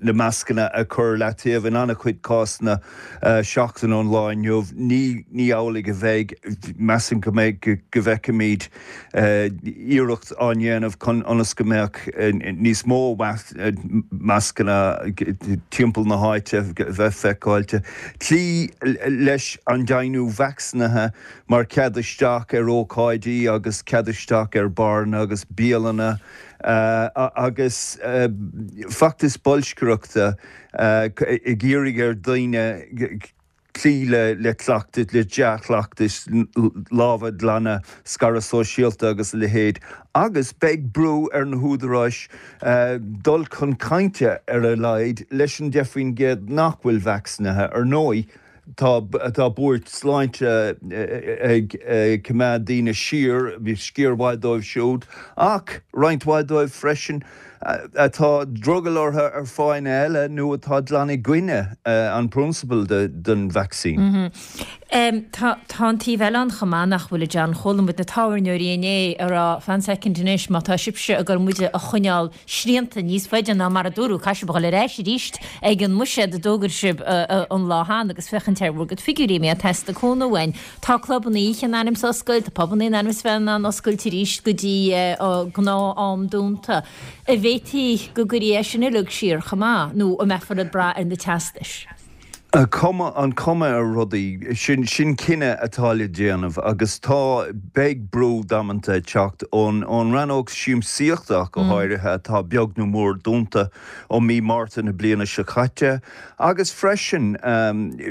na mascanna a chur leataobh in an-chuid cásanna seachtain ón lá inniu, ní amhlaidh a bheidh, measaim go mbeidh, go bhfeicfimid iarracht á ndéanamh chun ionas go mbeadh níos mó mascanna timpeall na háite bheith feiceáilte. Cloí leis an deimhniú vacsaínithe mar cead isteach ar ócáidí agus cead isteach ar bharranna agus bialanna agus feachtas bolscaireachta ag iarraidh ar dhaoine cloí le cleachtais, le dea-chleachtais, lámha a ghlanadh, scaradh sóisialta agus a leithéid, agus beidh brú ar na húdaráis dul chun cainte ar a laghad leis an deich faoin gcéad nach bhfuil vacsaínithe. Ar ndóigh, tá tá buairt sláinte ag coimeád daoine siar, sciar mhaith dóibh siúd, ach roinnt mhaith dóibh freisin atá drogall orthu ar fáthanna eile nó atá glan i gcoinne an prionsabal den vacsaín. Tá an taobh eile ann chomh maith, nach bhfuil, a John? Chuala muid na tábhairneoirí inné ag rá, fan soicind anois, má tá sibhse ag goil muide a choinneáil srianta níos faide ná mar a dúradh, caithfidh sibh a dhul ar ais arís ag an mbuiséad a d'fhógair sibh an lá cheana agus féachaint ar bhur gcuid figiúirí, má theastaíonn cúnamh uainn. Tá clubanna oíche in ainm is oscailt, tá pubanna in ainm is bheith in ann oscailt arís go dtí gnáth-am dúnta. An bhféadfaí go gcuirfí é sin uilig siar chomh maith, nó an mbeifear ag brath ar na teastais? An chuma, an chuma ar rudaí, sin, sin cinneadh atá le déanamh agus tá, beidh brú damanta ag teacht ón, ón rannóg siamsaíochta ach go háirithe atá beag nó mór dúnta ó mí Márta na bliana seo caite agus freisin,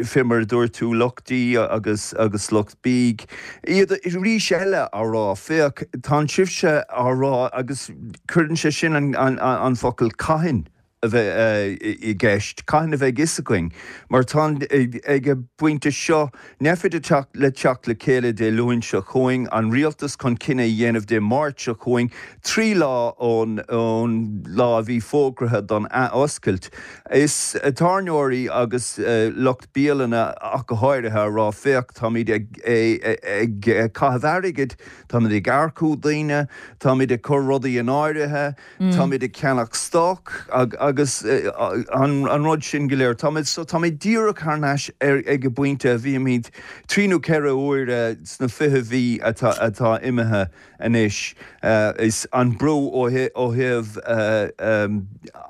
fé mar a dúirt tú, lucht dí agus, agus lucht bídh, iad arís eile á rá, féach, tá sibhse á rá agus cuireann sé sin an, an, an focal cathain a bheith i gceist, cathain a bheidh fhios againn, mar tá ag an bpointe seo, Nphet ag teacht le teacht le chéile Dé Luain seo chugainn, an rialtas chun cinneadh a dhéanamh Dé Máirt seo chugainn, trí lá ón lá a bhí fógraithe don athoscailt. Is tábhairneoirí agus lucht bialanna ach go háirithe a rá, féach, táimid ag caitheamh airgid, táimid ag earcú daoine, táimid ag cur rudaí in áirithe, Táimid ag ceannach stoc agus an rud sin go léir. Táimid, so táimid díreach thar n-ais ag an bpointe a bhímid trí nó ceithre huaire sna fiche mhí atá, atá imithe anois. Is an brú ó thaobh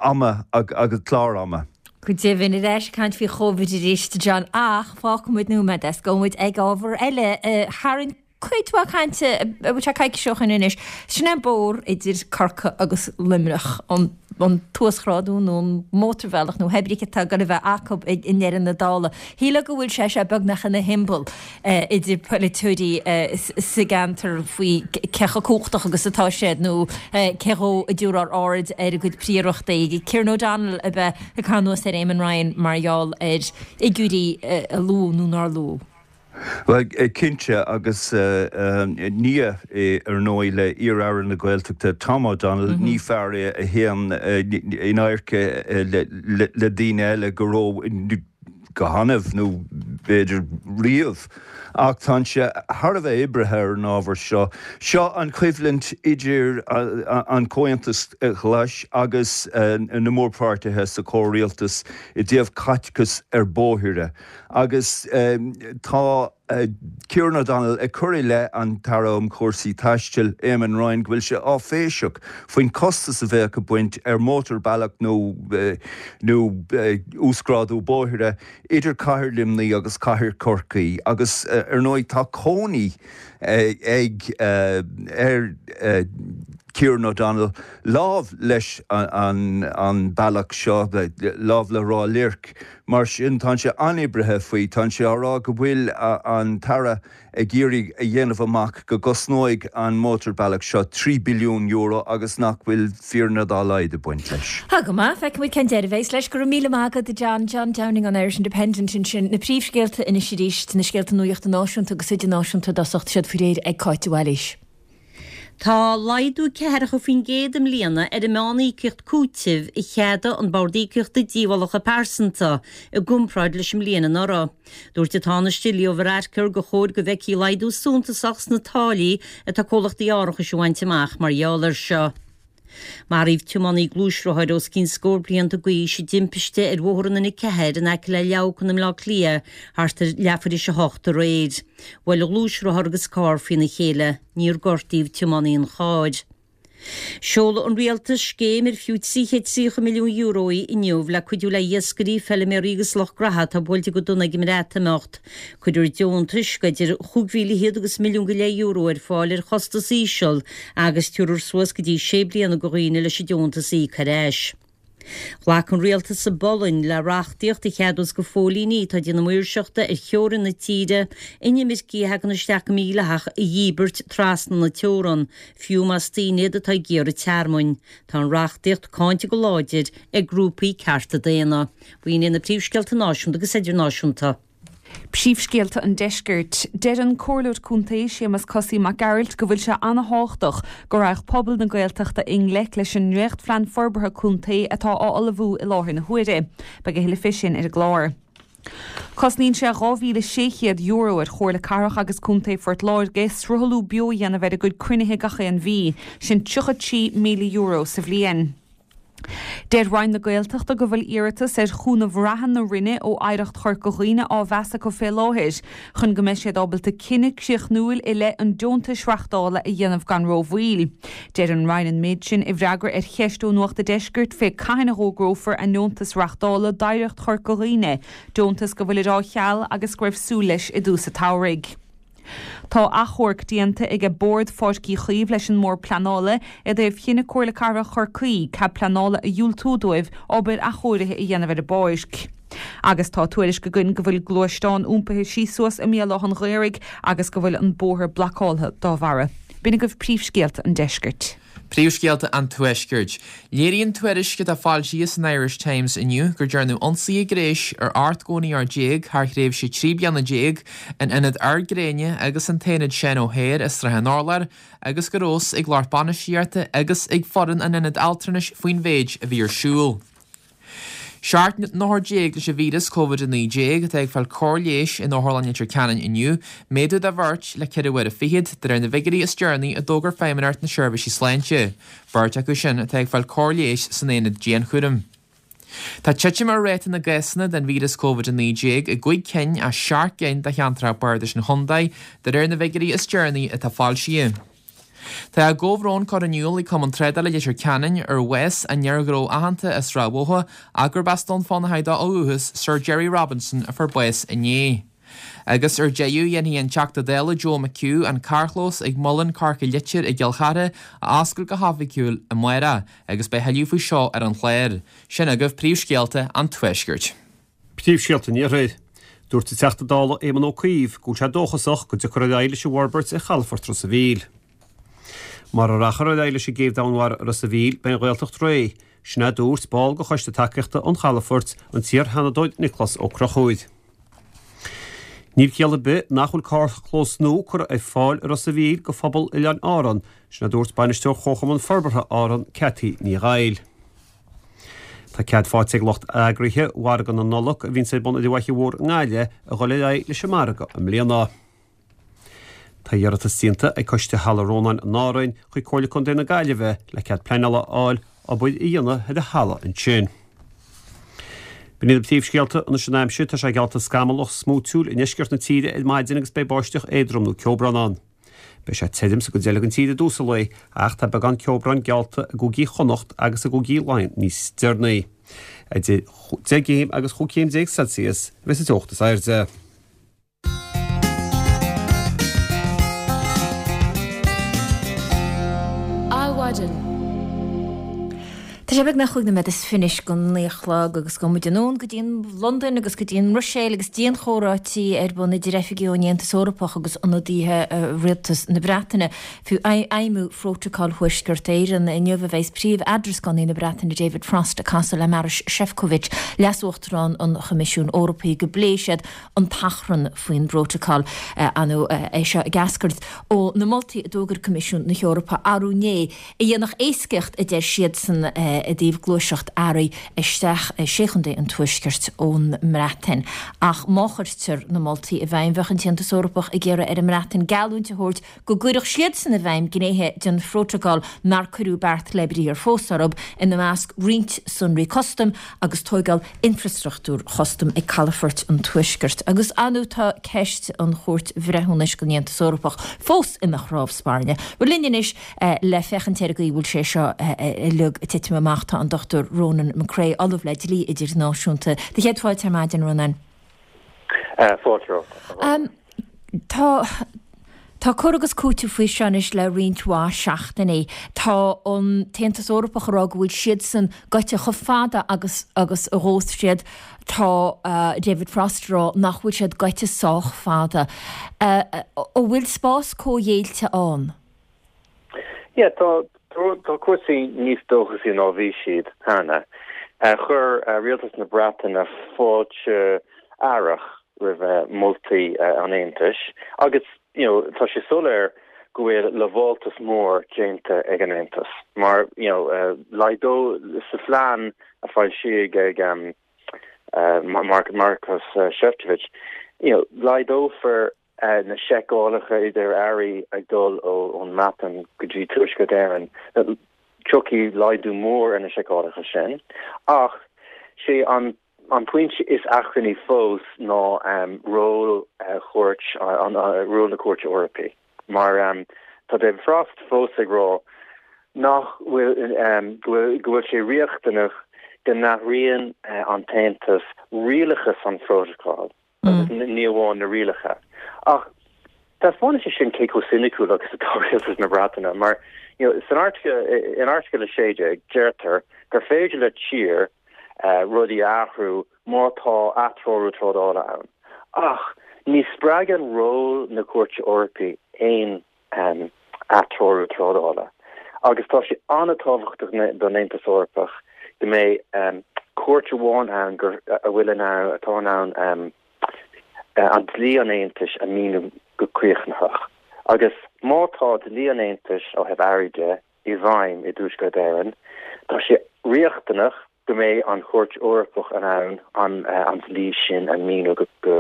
ama agus clár ama. Go deimhin, ar ais ag caint faoi Chóvid arís, John, ach fágfaidh muid nóiméad é is gabhfaidh muid ag ábhar eile a tharraing cuid mhaith cainte, an bhfuil sé coicís ó shin anois, sin é an bóthar idir Corcaigh agus Luimneach, an an t-uasghrádú nó an mótarbhealach nó pé ar bith atá ag goil a bheith acu i ndeireadh na dála. Shílfeá go bhfuil sé seo beagnach ina shiombail idir polaiteoirí sa gceantar faoi cé chomh cumhachtach agus atá siad nó cé dhó a dtabharfar aird ar a gcuid príorachtaí. Kieran O'Donnell a bheith ag cur anuas ar Eamon Ryan mar gheall ar fhigiúirí a luadh nó nár luadh. Bhuel, cinnte, agus nia é ar ndóigh le iar-Aire na Gaeltachta Tom O'Donnell, ní fear é a théann in adharca le daoine eile go ró, go hannamh nó b'fhéidir riamh, ach tá sé thar a bheith oibrithe ar an ábhar seo. Seo an choimhlint idir an Comhaontas Glas agus na mórpháirtithe sa chomhrialtas i dtaobh caiteachas ar bóithre agus tá Kieran O'Donnell ag cur i leith an tAire um Chúrsaí Taistil, Eamon Ryan, go bhfuil sé áiféiseach faoin costas a bheadh ag baint ar mhótarbhealach nó nó uasghrádú bóithre idir cathair Luimnigh agus cathair Chorcaí agus ar ndóigh tá cónaí ag ar Kieran O'Donnell lámh leis an an bealach seo, lámh le Ráth Luirc. Mar sin tá sé an-oibrithe faoi, tá sé á rá go bhfuil an tAire ag iarraidh a dhéanamh amach go gcosnóidh an mótarbealach seo trí billiún euro agus nach bhfuil fírinne dá laghad ag baint leis. Tá go maith, feicfimid cén deireadh a bheas leis. Go raibh míle maith agat, a John. John Downing ón Irish Independent ansin. Na príomhscéalta anois arís, na scéalta nuachta náisiúnta agus idirnáisiúnta i dtosach, tá siad faoi réir ag Cáit de Bhailís. Tá laghdú ceathracha faoin gcéad i mbliana ar an meán-íocaíocht cúitimh a cheadaigh an Bord Íocaíochta Díobhálacha Pearsanta i gcomparáid leis an mbliain anuraidh. Dúirt an Tánaiste Leo Varadkar gur chóir go bhfeicfí laghdú suntasach sna táillí atá comhlachtaí árachais a bhaint amach mar gheall air seo. Maraíodh tiománaí gluaisrothair os cionn scór blianta d'aois i dtimpiste ar bhóthar an N a ceathair in aice le Leamhcán i mBleá Cliath thart ar leathuair théis a hocht aréir. Bhuail an gluaisrothar agus carr faoina chéile. Níor gortaíodh tiománaí an chairr. Seolfaidh an Rialtas scéim ar fiú trí chéad tríocha milliún euro í inniu le cuidiú le hiascairí, feilméaraí agus lucht graithe atá buailte go dona ag an mBreatimeacht. Cuirfear deontais idir chúig mhíle fichead agus milliún go leith euro ar fáil ar chostas íseal agus tabharfar suas go dtí sé bliana do dhaoine leis an deontas a íoc ar ais. Ghlac an rialtas sa bPolainn le reachtaíocht a cheadós do phóilíní atá ag déanamh maoirseachta ar theorainn na tíre inimircigh a thagann isteach go mídhleathach a dhíbirt trasna na teorann, fiú más daoine iad atá ag iarraidh tearmainn. Tá an reachtaíocht cáinte go láidir ag grúpaí cearta daonna. B'in iad na príomhscéalta náisiúnta agus idirnáisiúnta. Príomhscéalta an Deiscirt. Deir an Comhairleoir Contae Séamus Cosaí Mac Gearailt go bhfuil sé an-thábhachtach go raghadh pobal na Gaeltachta i ngleic leis an ndréachtphlean forbartha contae atá á ullmhú i láthair na huaire. Beidh a thuilleadh fé sin ar an gclár. Cosnaíonn sé dhá mhíle sé chéad euro ar Chomhairle Cathrach agus Contae Phort Láirge sruthlú beo a dhéanamh ar a gcuid cruinnithe gach aon mhí, sin tríocha trí míle euro sa bhliain. Deir Roinn na Gaeltachta go bhfuil iarratas ar chúnamh reatha na Roinne ó Oidhreacht Chorca Dhuibhne á mheas acu fé láthair chun go mbeidh siad ábalta cinneadh críochnúil i leith an deontais reachtála a dhéanamh gan rómhoill. Deir an Roinn an méid sin i bhfreagra ar cheist ó Nuacht an Deiscirt fé cathain a dh'fhógrófar a ndeontas reachtála d'Oidhreacht Chorca Dhuibhne, deontas go bhfuilid á cheal agus go raibh súil leis i dtús an tsamhraidh. Tá achomharc déanta aige Bord Pháirc Uí Chaoimh leis an mBord Pleanála i dtaobh chinneadh Comhairle Cathrach Chorcaí cead pleanála a dhiúltú dóibh obair athchóirithe a dhéanamh ar an bpáirc. Agus tá tuairisc againn go bhfuil gluaisteán iompaithe síos suas i mBéal Átha an Ghaorthaidh agus go bhfuil an bóthar blocáltha dá bharra. B'in agaibh príomhscéalta an deiscirt. Príomhscéalta an Tuaiscirt. Léiríonn tuairisc atá foilsithe san Irish Times inniu gur dearnadh ionsaithe gréis ar ocht gcónaitheoir déag thar thréimhse trí bliana déag in Ionad Ard Gréine agus an tAonad Seán O'Hare i Srath an Urláir agus go raibh a fhios ag lucht bainistíochta agus ag foireann an ionaid altranais faoin mhéid a bhí ar siúl. Seacht n-othar déag leis an víreas Covid a naoi déag atá ag fáil cóir leighis in Otharlann Leitir Ceanainn inniu, méadú de bheirt le ceithre huaire fichead, de réir na bhfigiúirí is deireanaí a d'fhógair Feidhmeannacht na Seirbhísí Sláinte. Beirt acu sin atá ag fáil cóir leighis san aonad dianchúraim. Tá titim ar ráta na gcásanna den víreas Covid a naoi déag i gcúig cinn as seacht gcinn de cheantracha bardais an chontae, de réir na bhfigiúirí is deireanaí atá foilsithe. Tá a gcomhbhrón curtha in iúl ag Cumann Trádála Leitir Ceanainn ar bhás an fhir ghnó aitheanta as Srath Bhotha ach gurb as Dún Fionnachaidh dó ó dhúchas, Sir Gerry Robinson a fuair bás inné. Agus ar deireadh, dhéanfaidh an Teachta Dála Joe McHugh an carrchlós ag Muileann Corca Leitir i gCill Chartha a oscailt go hoifigiúil amárach agus beidh thuilleadh faoi seo ar an chlár. Sin agaibh príomhscéalta an Tuaiscirt. Príomhscéalta an Iarthair. Dúirt an Teachta Dála Éamon Ó Cuív go bhfuil sé dóchasach go dtiocfar ar aghaidh leis an bhforbairt ar chalafort Ros a' Mhíl. Mara rachfar ar aghaidh leis an gcéibh domhainmhara i Ros a' Mhíl, beidh an Ghaeltacht réidh, sin a dúirt ball de Choiste Tacaíochta an Chalafoirt, an t-iar-Sheanadóir Nioclás Ó Conchúir. Níl ciall ar bith nach bhfuil carrchlós nua curtha ar fáil i Ros a' Mhíl do phobal Oileáin Árann, sin a dúirt Bainisteoir Chomharchumann Forbartha Árann, Cathy Ní Dhaill. Tá cead faighte ag lucht eagraithe mhargadh na Nollag a bhíonn ar bun ar an bhFaiche Mhór i nGaillimh a dhul ar aghaidh leis an margadh i mbliana. Tá iarratas déanta ag Coiste Halla Rónáin in Árainn chuig Comhairle Contae na Gaillimhe le cead pleanála a fháil obair a dhéanamh ar an halla ansin. B'in iad na príomhscéalta anois an aimsir, tá sé geallta scamallach smúitiúil i ndeisceart na tíre ar maidin agus beidh báisteach éadrom nó ceobrán ann. Beidh sé tirim sa gcuid eile den tír i dtús an lae ach tá beagán ceobráin geallta i gcúigí Chonnacht agus i gcúigí Laighean níos deireanaí. Idir deich gcéim agus chúig chéim déag Celsius a bheas an teocht is airde. Adhmhaidin. Tá sé beagnach chúig nóiméad is fiche anois go naoi a chlog agus gabhfaidh muid anonn go dtí an Londain agus go dtí an mBruiséil agus dianchomhráití ar bun idir oifigigh ón Aontas Eorpach agus ionadaithe rialtas na Breataine faoi fheidhmiú Phrótacal Thuaisceart Éireann. Inniu a bheas príomh-eadrascánaí na Breataine David Frost ag casadh le Marois Sefcovic, leas-uachtarán an Choimisiúin Eorpaigh, go bpléifidh siad an t-achrann faoin bprótacal. Ar ndóigh é seo ag eascairt ó na moltaí a d'fhógair Coimisiún na hEorpa arú inné a dhéanfadh éascaíocht, a deir siadsan, i dtaobh gluaiseacht earraí isteach i Sé Chontae an Tuaiscirt ón mBreatain. Ach má chuirtear na moltaí i bhfeidhm, bheadh an tAontas Eorpach ag iarraidh ar an mBreatain geallúint a thabhairt go gcuirfeadh siadsan i bhfeidhm gnéithe den phrótacal nár cuireadh beart le briathar fós orthu, ina measc roinnt sonraí custaim agus tóigeáil infreastruchtúir chustaim ag calafoirt an Tuaiscirt. Agus ar ndóigh tá ceist an Chúirt Bhreithiúnais don Aontas Eorpach fós ina chnámh spairne. Bhuel linn anois le féachaint ar an gcaoi a bhfuil sé seo uilig ag titim amach tá an Dochtúir Ronan McCrea, Ollamh le Dlí Idirnáisiúnta. Do chéad fáilte ar maidin, Ronan. Fáilte romhat. Tá Tá cur agus cúiteamh faoi seo anois le roinnt mhaith seachtainí. Tá an tAontas Eorpach ag rá go bhfuil siadsan gaibhte chomh fada agus agus a ghabhfas siad. Tá David Frost ag rá nach bhfuil siad gaibhte sách fada. An bhfuil spás comhghéillte ann? Yeah, tá tá cúrsaí níos dóchasaí ná bhí siad cheana. Chuir rialtas na Breataine fáilte aireach roimh moltaí an Aontais agus you know, tá sé soiléir go bhfuil lamháltas mór déanta ag an Aontas mar you know, uh, laghdó sa phlean a foilsíodh ag um, uh, Mark Maroš uh, Šefčovič, you know, laghdófar uh, na seiceálacha idir earraí ag dul ón mBreatain go dtí Tuaisceart Éireann. Tiocfaidh laghdú mór ar na seiceálacha sin ach sé an An pointe is achrannaí fós ná um, ról uh, chúirt an uh, ról na Cúirte Eorpaí. Mar um, tá David Frost fós ag rá nach bhfuil um, go bhfuil sé riachtanach go n-athraíonn uh, an tAontas rialachas an phrótacail mm. ní amháin na rialacha. Ach taispeánann sé sin cé chomh soiniciúil agus atá rialtas na Breataine mar you know, san airteagal in airteagal a sé déag deirtear gur féidir le tír rudaí a athrú má tá atreorú trádála ann. Ach ní spreagann ról na Cúirte Eorpaí aon atreorú trádála. Agus tá sé an-tábhachtach don Aontas Eorpach go mbeidh cúirt amháin ann gur a bhfuil in ann atá in ann an dlí an Aontais a mhíniú go críochnaitheach. Agus má tá dlí an Aontais ó thaobh earraí de i bhfeidhm i dTuaisceart Éireann, tá sé riachtanach go mbeidh an Chúirt Eorpach in ann an an dlí sin a mhíniú go go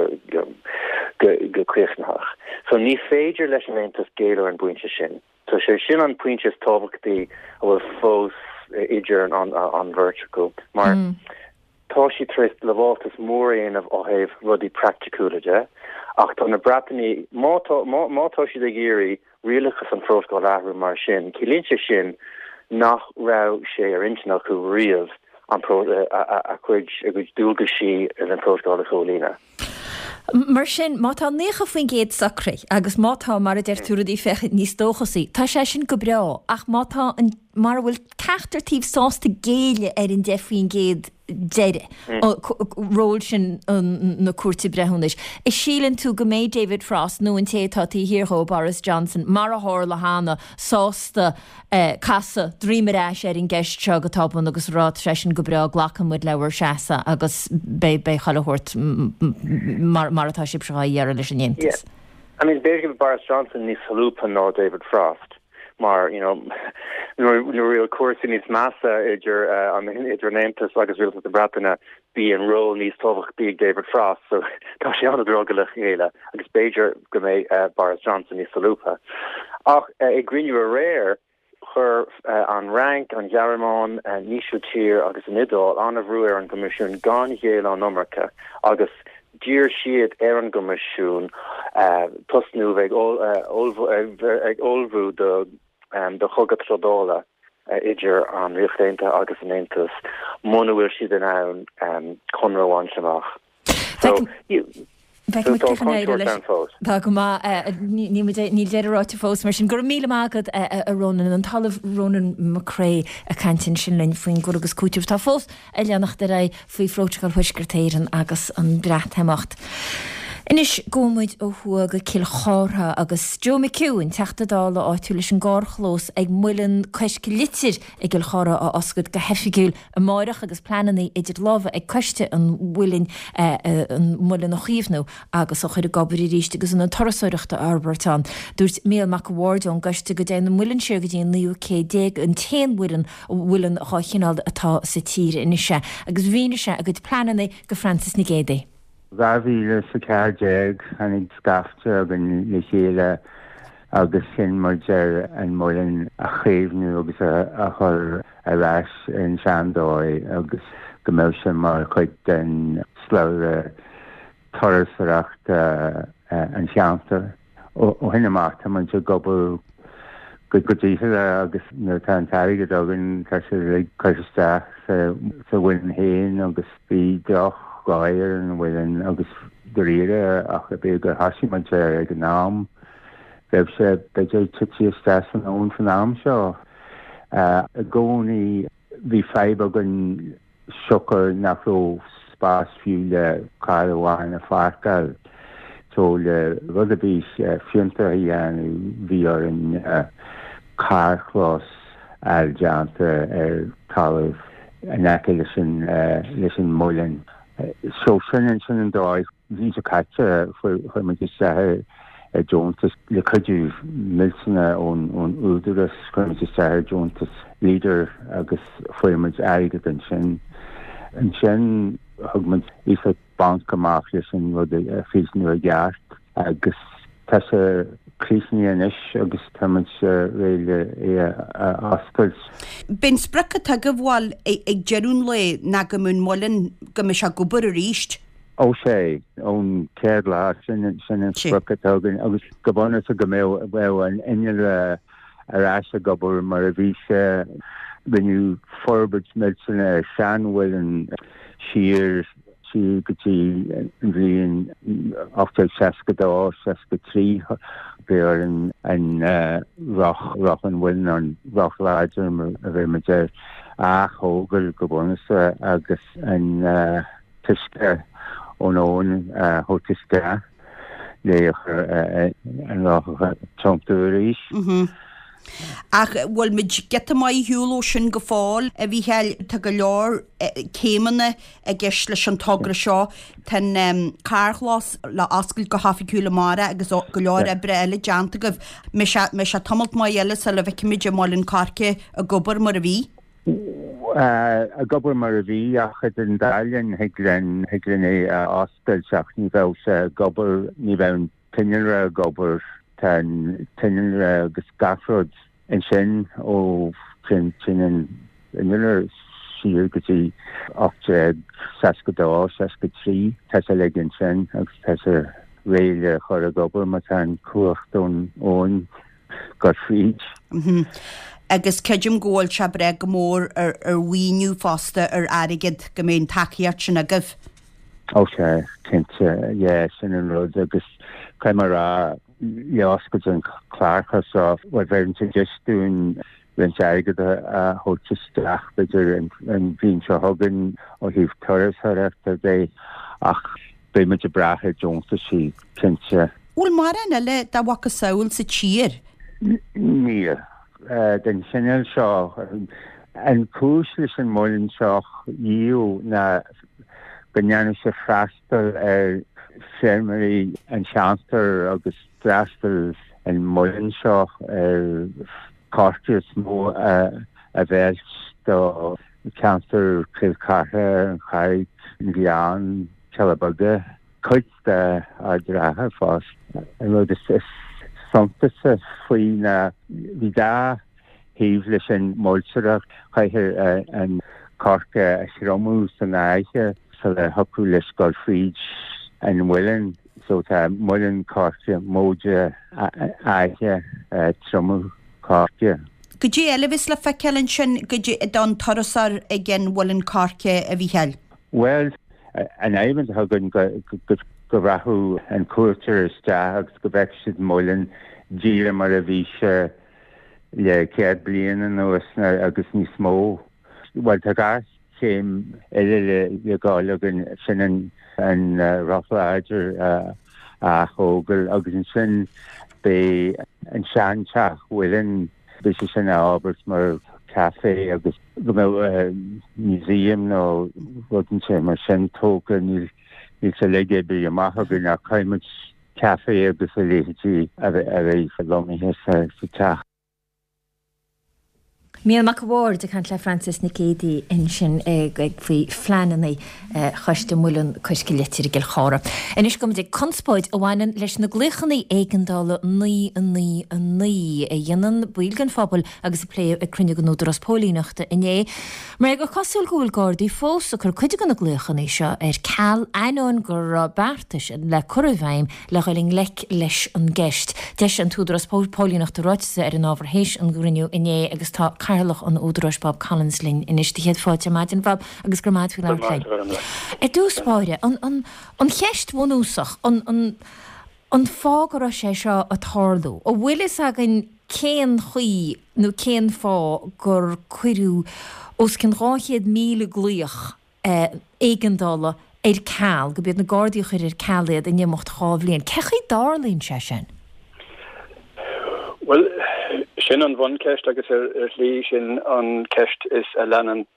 go críochnaitheach. So ní féidir leis an Aontas géilleadh ar an bpointe sin. So sé sin an pointe is tábhachtaí a bhfuil fós idir an an an bheirt acu mar mm. tá siad tar éis lamháltas mór a dhéanamh ó thaobh rudaí praiticiúla de, ach tá na Breatanaigh má tá má má tá siad ag iarraidh rialachas an phrótacail a athrú mar sin, ciallaíonn sé sin nach raibh sé ar intinn acu riamh an a gcuid a gcuid dualgaisí ar an bprótacal a chomhlíonadh. Mar sin, má tá naocha faoin gcéad socraithe agus má tá, mar a deir tú, rudaí ag féachaint níos dóchasaí, tá sé sin go breá, ach má tá an, mara bhfuil ceachtar taobh sásta géilleadh ar an deich faoin gcéad deiridh, ról sin na Cúirte Breithiúnais, an síleann tú go mbeidh David Frost nó an té atá taobh thiar dhó, Boris Johnson, mar a tharla cheana, sásta casadh droim ar ais ar an gceist seo go tobann agus rá tá sé sin go breá, glacann muid le bhur seasamh agus beidh beidh chuile shórt mar mar atá sibhse dhá iarraidh leis an Aontas? I mean, b'fhéidir go bhfuil Boris Johnson níos solúbtha ná David Frost. mar you know nuair nuair a cúrsaí níos measa idir uh, an idir an Aontas agus Rialtas na Breataine bíonn ról níos tábhachtaí ag David Frost so tá sé an-drogallach le chéile agus b'fhéidir go mbeidh uh, Boris Johnson níos solúbtha. Ach uh, i gcruinniú aréir chuir uh, an Fhrainc, an Ghearmáin, uh, an Ísiltír agus an Iodáil an-bhrú ar an gCoimisiún gan géilleadh an iomarca agus d'iarr siad ar an gCoimisiún uh, tosnú ag ag ullmhú do um, do chogadh trádála uh, idir an Ríocht Aontaithe agus an Aontas muna bhfuil siad in ann um, conradh a bhaint amach. So, Tá go maith níl deireadh ráite fós mar sin go raibh míle maith agat a Ronan an tOllamh Ronan McCrea ag caint ansin linn faoin gcur agus cúiteamh tá fós ag leanacht ar aghaidh faoi Phrótacal Thuaisceart Éireann agus an Breatimeacht. Anois gabhfaidh muid ó thuaidh go Cill Chártha agus Joe McHugh an Teachta Dála áitiúil leis an gcarrchlós ag Muileann Cois Litir i gCill Chártha a oscailt go hoifigiúil amárach agus pleananna idir lámha ag coiste an mhuilinn an muileann a chaomhnú agus a chur ag obair arís agus an turasóireacht a fhorbairt ann. Dúirt Mícheál Mac an Bhaird ón gcoiste go dtéann an muileann siar go dtí an naoú céad déag an t-aon mhuileann mhuileann dá chineál atá sa tír anois agus mhínigh sé a gcuid pleananna go Frances Nic Géadaigh. Dhá mhíle is a ceathair déag tháinig scaifte againn le chéile agus chinn muid ar an muileann a chaomhnú agus a chur ar ais ar an seandóigh agus go mbeadh sé mar chuid den slabhra turasóireachta an cheantair. Ó shin amach tá muid ag obair go dícheallach agus nuair atá an t-airgead againn tá sé uilig curtha isteach sa mhuileann féin agus bhí drochdhóigh ar an mhuileann agus dáiríre ach b'fhéidir gur thosaigh muid air ag an am bheadh sé b'fhéidir tite isteach san abhainn san am seo. I gcónaí bhí fadhb againn siocair nach raibh spás fiú le carr amháin a pháirceáil. So le rud ar bith fiúntach a dhéanamh bhí orainn carrchlós a fháil déanta ar talamh in aice leis an leis an muileann. So sin sin an dóigh. An bhliain seo caite chuir muid isteach ar deontas le cuidiú millteanach ón ón Údarás, chuir muid isteach ar deontas Leader agus fuair muid airgead ansin. Ansin thug muid iasacht banc amach leis an rud a chríochnú i gceart agus tá sé críochnaithe anois agus tá muid réidh le é a oscailt. B'é an sprioc atá agaibh bhuel ag deireadh an lae ná go mbeadh an muileann go mbeadh sé ag obair arís. Ó sé, ón chéad lá sin sin an sprioc atá againn agus go bunúsach go mbeadh bheadh an innealra ar ais ag obair mar a bhí sé. Rinneadh forbairt millteanach ar seanmhuileann siar siar go dtí an bhliain ocht déag seasca dó, seasca trí. Bhí orainn an roth, roth an mhuilinn, an roth láidir mar a bheir muid air, a ath-thógáil go bunúsach agus an t-uisce ón abhainn a thabhairt isteach le an roth a thiontú arís. Ach bhfuil muid giota maith ar shiúl ó sin go fóill, a Mhícheáil? Tá go leor céimeanna i gceist leis an togra seo. Tá an carrchlós le oscailt go hoifigiúil amárach agus go leor oibre eile déanta agaibh. Mbeidh sé tamalt maith eile sula bhfeicfimid an Muileann Coirce ag obair mar a bhí? Ag obair mar a bhí ach idir an dá linn thig linn thig linn é a oscailt ach ní bheadh sé ag obair, ní bheadh an t-innealra ag obair. Tá an t-innealra agus gach rud ansin ó sin an innealra siar go dtí ocht déag seasca dó, seasca trí. Tá sé uilig ansin agus tá sé réidh le chur ag obair má tá an cumhacht ón abhainn ag dul fríd. Agus creidim go bhfuil sé ag brath go mór ar mhaoiniú fosta, ar airgead, go mbeidh an tacaíocht sin agaibh. Ó sea, cinnte, yeah, sin an rud agus caithfidh mé a rá, le oscailt an charrchlós seo, bhuel, bheireann sé deis dúinn roinnt airgead a thabhairt isteach, b'fhéidir an bhliain seo chugainn ó thaobh turasóireachta de, ach beidh muid ag brath ar deontaisí, cinnte. Bhfuil mórán eile dá mhacasamhail sa tír? Níl. Den chineál seo. An chúis leis an muileann seo a dhíol ná go ndéanadh sé freastal ar feirmeoirí an cheantair agus d'fhreastail an muileann seo ar coirce is mó a mheilt do cheantar Chill Chartha, an Charraig, an Gleann, Cealla Beaga, cuid de Ard an Rátha fosta. An rud is suntasaí faoi ná bhí dhá thaobh leis an mhuilteoireacht, chaithfear an coirce a thriomú san fhaiche sula thiocfadh leis dul fríd an muileann. So tá muileann coirce móide faiche triomú coirce. Goidé eile a bheas le feiceáil ansin goidé don turasóir ag an mhuileann coirce, a Mhícheáil? Bhuel, an aidhm atá againn go go rachadh an cuairteoir isteach agus go bhfeicfidh siad an muileann díreach mar a bhí sé le céad bliain anuas agus níos mó. Bhuel, tá dhá chéim eile le gabháil againn, sin an roth láidir a ath-thógáil agus ansin beidh an seanteach mhuilinn, beidh sé sin á fhorbairt mar café agus go mbeadh museum nó rud inteacht mar sin tógtha, níl sé uilig oibrithe amach againn ach caithfidh muid café agus a leithéidí a bheith lonnaithe sa teach. Mícheál Mac a' Bhaird ag caint le Frances Nic Géadaigh ansin faoi phleananna Choiste Muileann Coirce Leitir i gCill Chartha. Anois gabhfaidh muid ag conspóid a bhaineann leis na glaochanna éigeandála naoi a naoi a naoi a dhéanann baill den phobal agus a pléadh ag cruinniú den Údarás Póilíneachta inné. Mar gur cosúil go bhfuil Gardaí fós ag cur cuid de na glaochanna seo ar ceal ainneoin go raibh beartais le cur i bhfeidhm le dhul i ngleic leis an gceist. D'eisigh an tÚdarás Póilíneachta ráiteas ar an ábhar théis an gcruinniú inné agus tá Cathaoirleach an Údaráis Bob Collins linn anois. Do chéad fáilte ar maidin, Bhob, agus go raibh maith agat faoi labhairt linn. Ar dtús báire, an, an, an cheist bhunúsach, an, an, an fáth go raibh sé seo ag tarlú, an bhfuil fhios againn cén chaoi nó cén fáth gur cuireadh os cionn dhá chéad míle glaoch éigeandála ar ceal, gurb iad na Gardaí a chuir ar ceal iad in imeacht dhá bhliain. Cén chaoi a dtarlaíonn sé sin? Bhuel, sin an bhuncheist agus ar shlí sin an ceist is a leanann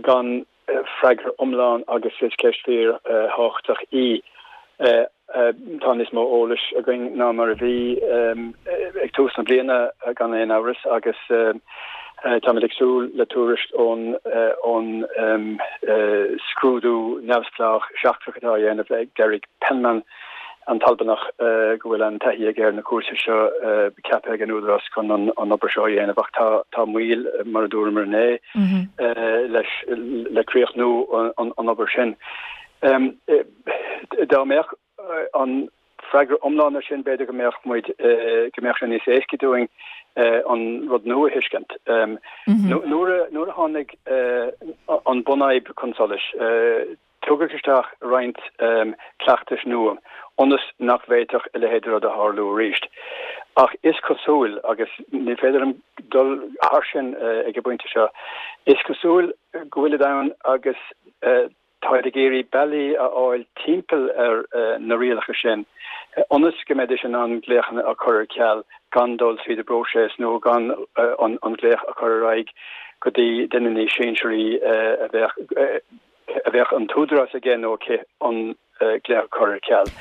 gan freagra iomlán agus is ceist fíor thábhachtach í. Tá níos mó eolais againn ná mar a bhí ag tús na bliana gan aon amhras agus táimid ag súil le tuairisc ón ón scrúdú neamhspleách seachtrach atá á dhéanamh ag Derek Penman, an tAlbanach go bhfuil an-taithí aige ar na cúrsaí seo, ceaptha ag an Údarás chun an obair seo a dhéanamh ach tá tá moill, mar a dúramar inné, leis le críochnú an obair sin. Dá mbeadh an freagra iomlán ar sin, b'fhéidir go mbeadh muid, go mbeadh sé níos éasca dúinn an rud nua a thuiscint. Nuair a, nuair a tháinig an bunfhadhb chun solais, tugadh isteach roinnt cleachtais nua ionas nach bhféadfadh a leithéid de rud a tharlú arís. Ach is cosúil, agus ní féidir liom dul thar sin ag an bpointe seo, is cosúil go bhfuilid ann agus Táid ag iarraidh bealaí a fháil timpeall ar na rialacha sin ionas go mbeidís in ann glaochanna a chur ar ceal gan dul tríd an bpróiseas nó gan an glaoch a chur ar aghaidh go dtí duine níos sinsearaí a bheadh a bheadh an t-údarás aige nó aici an glaoch a chur ar ceal.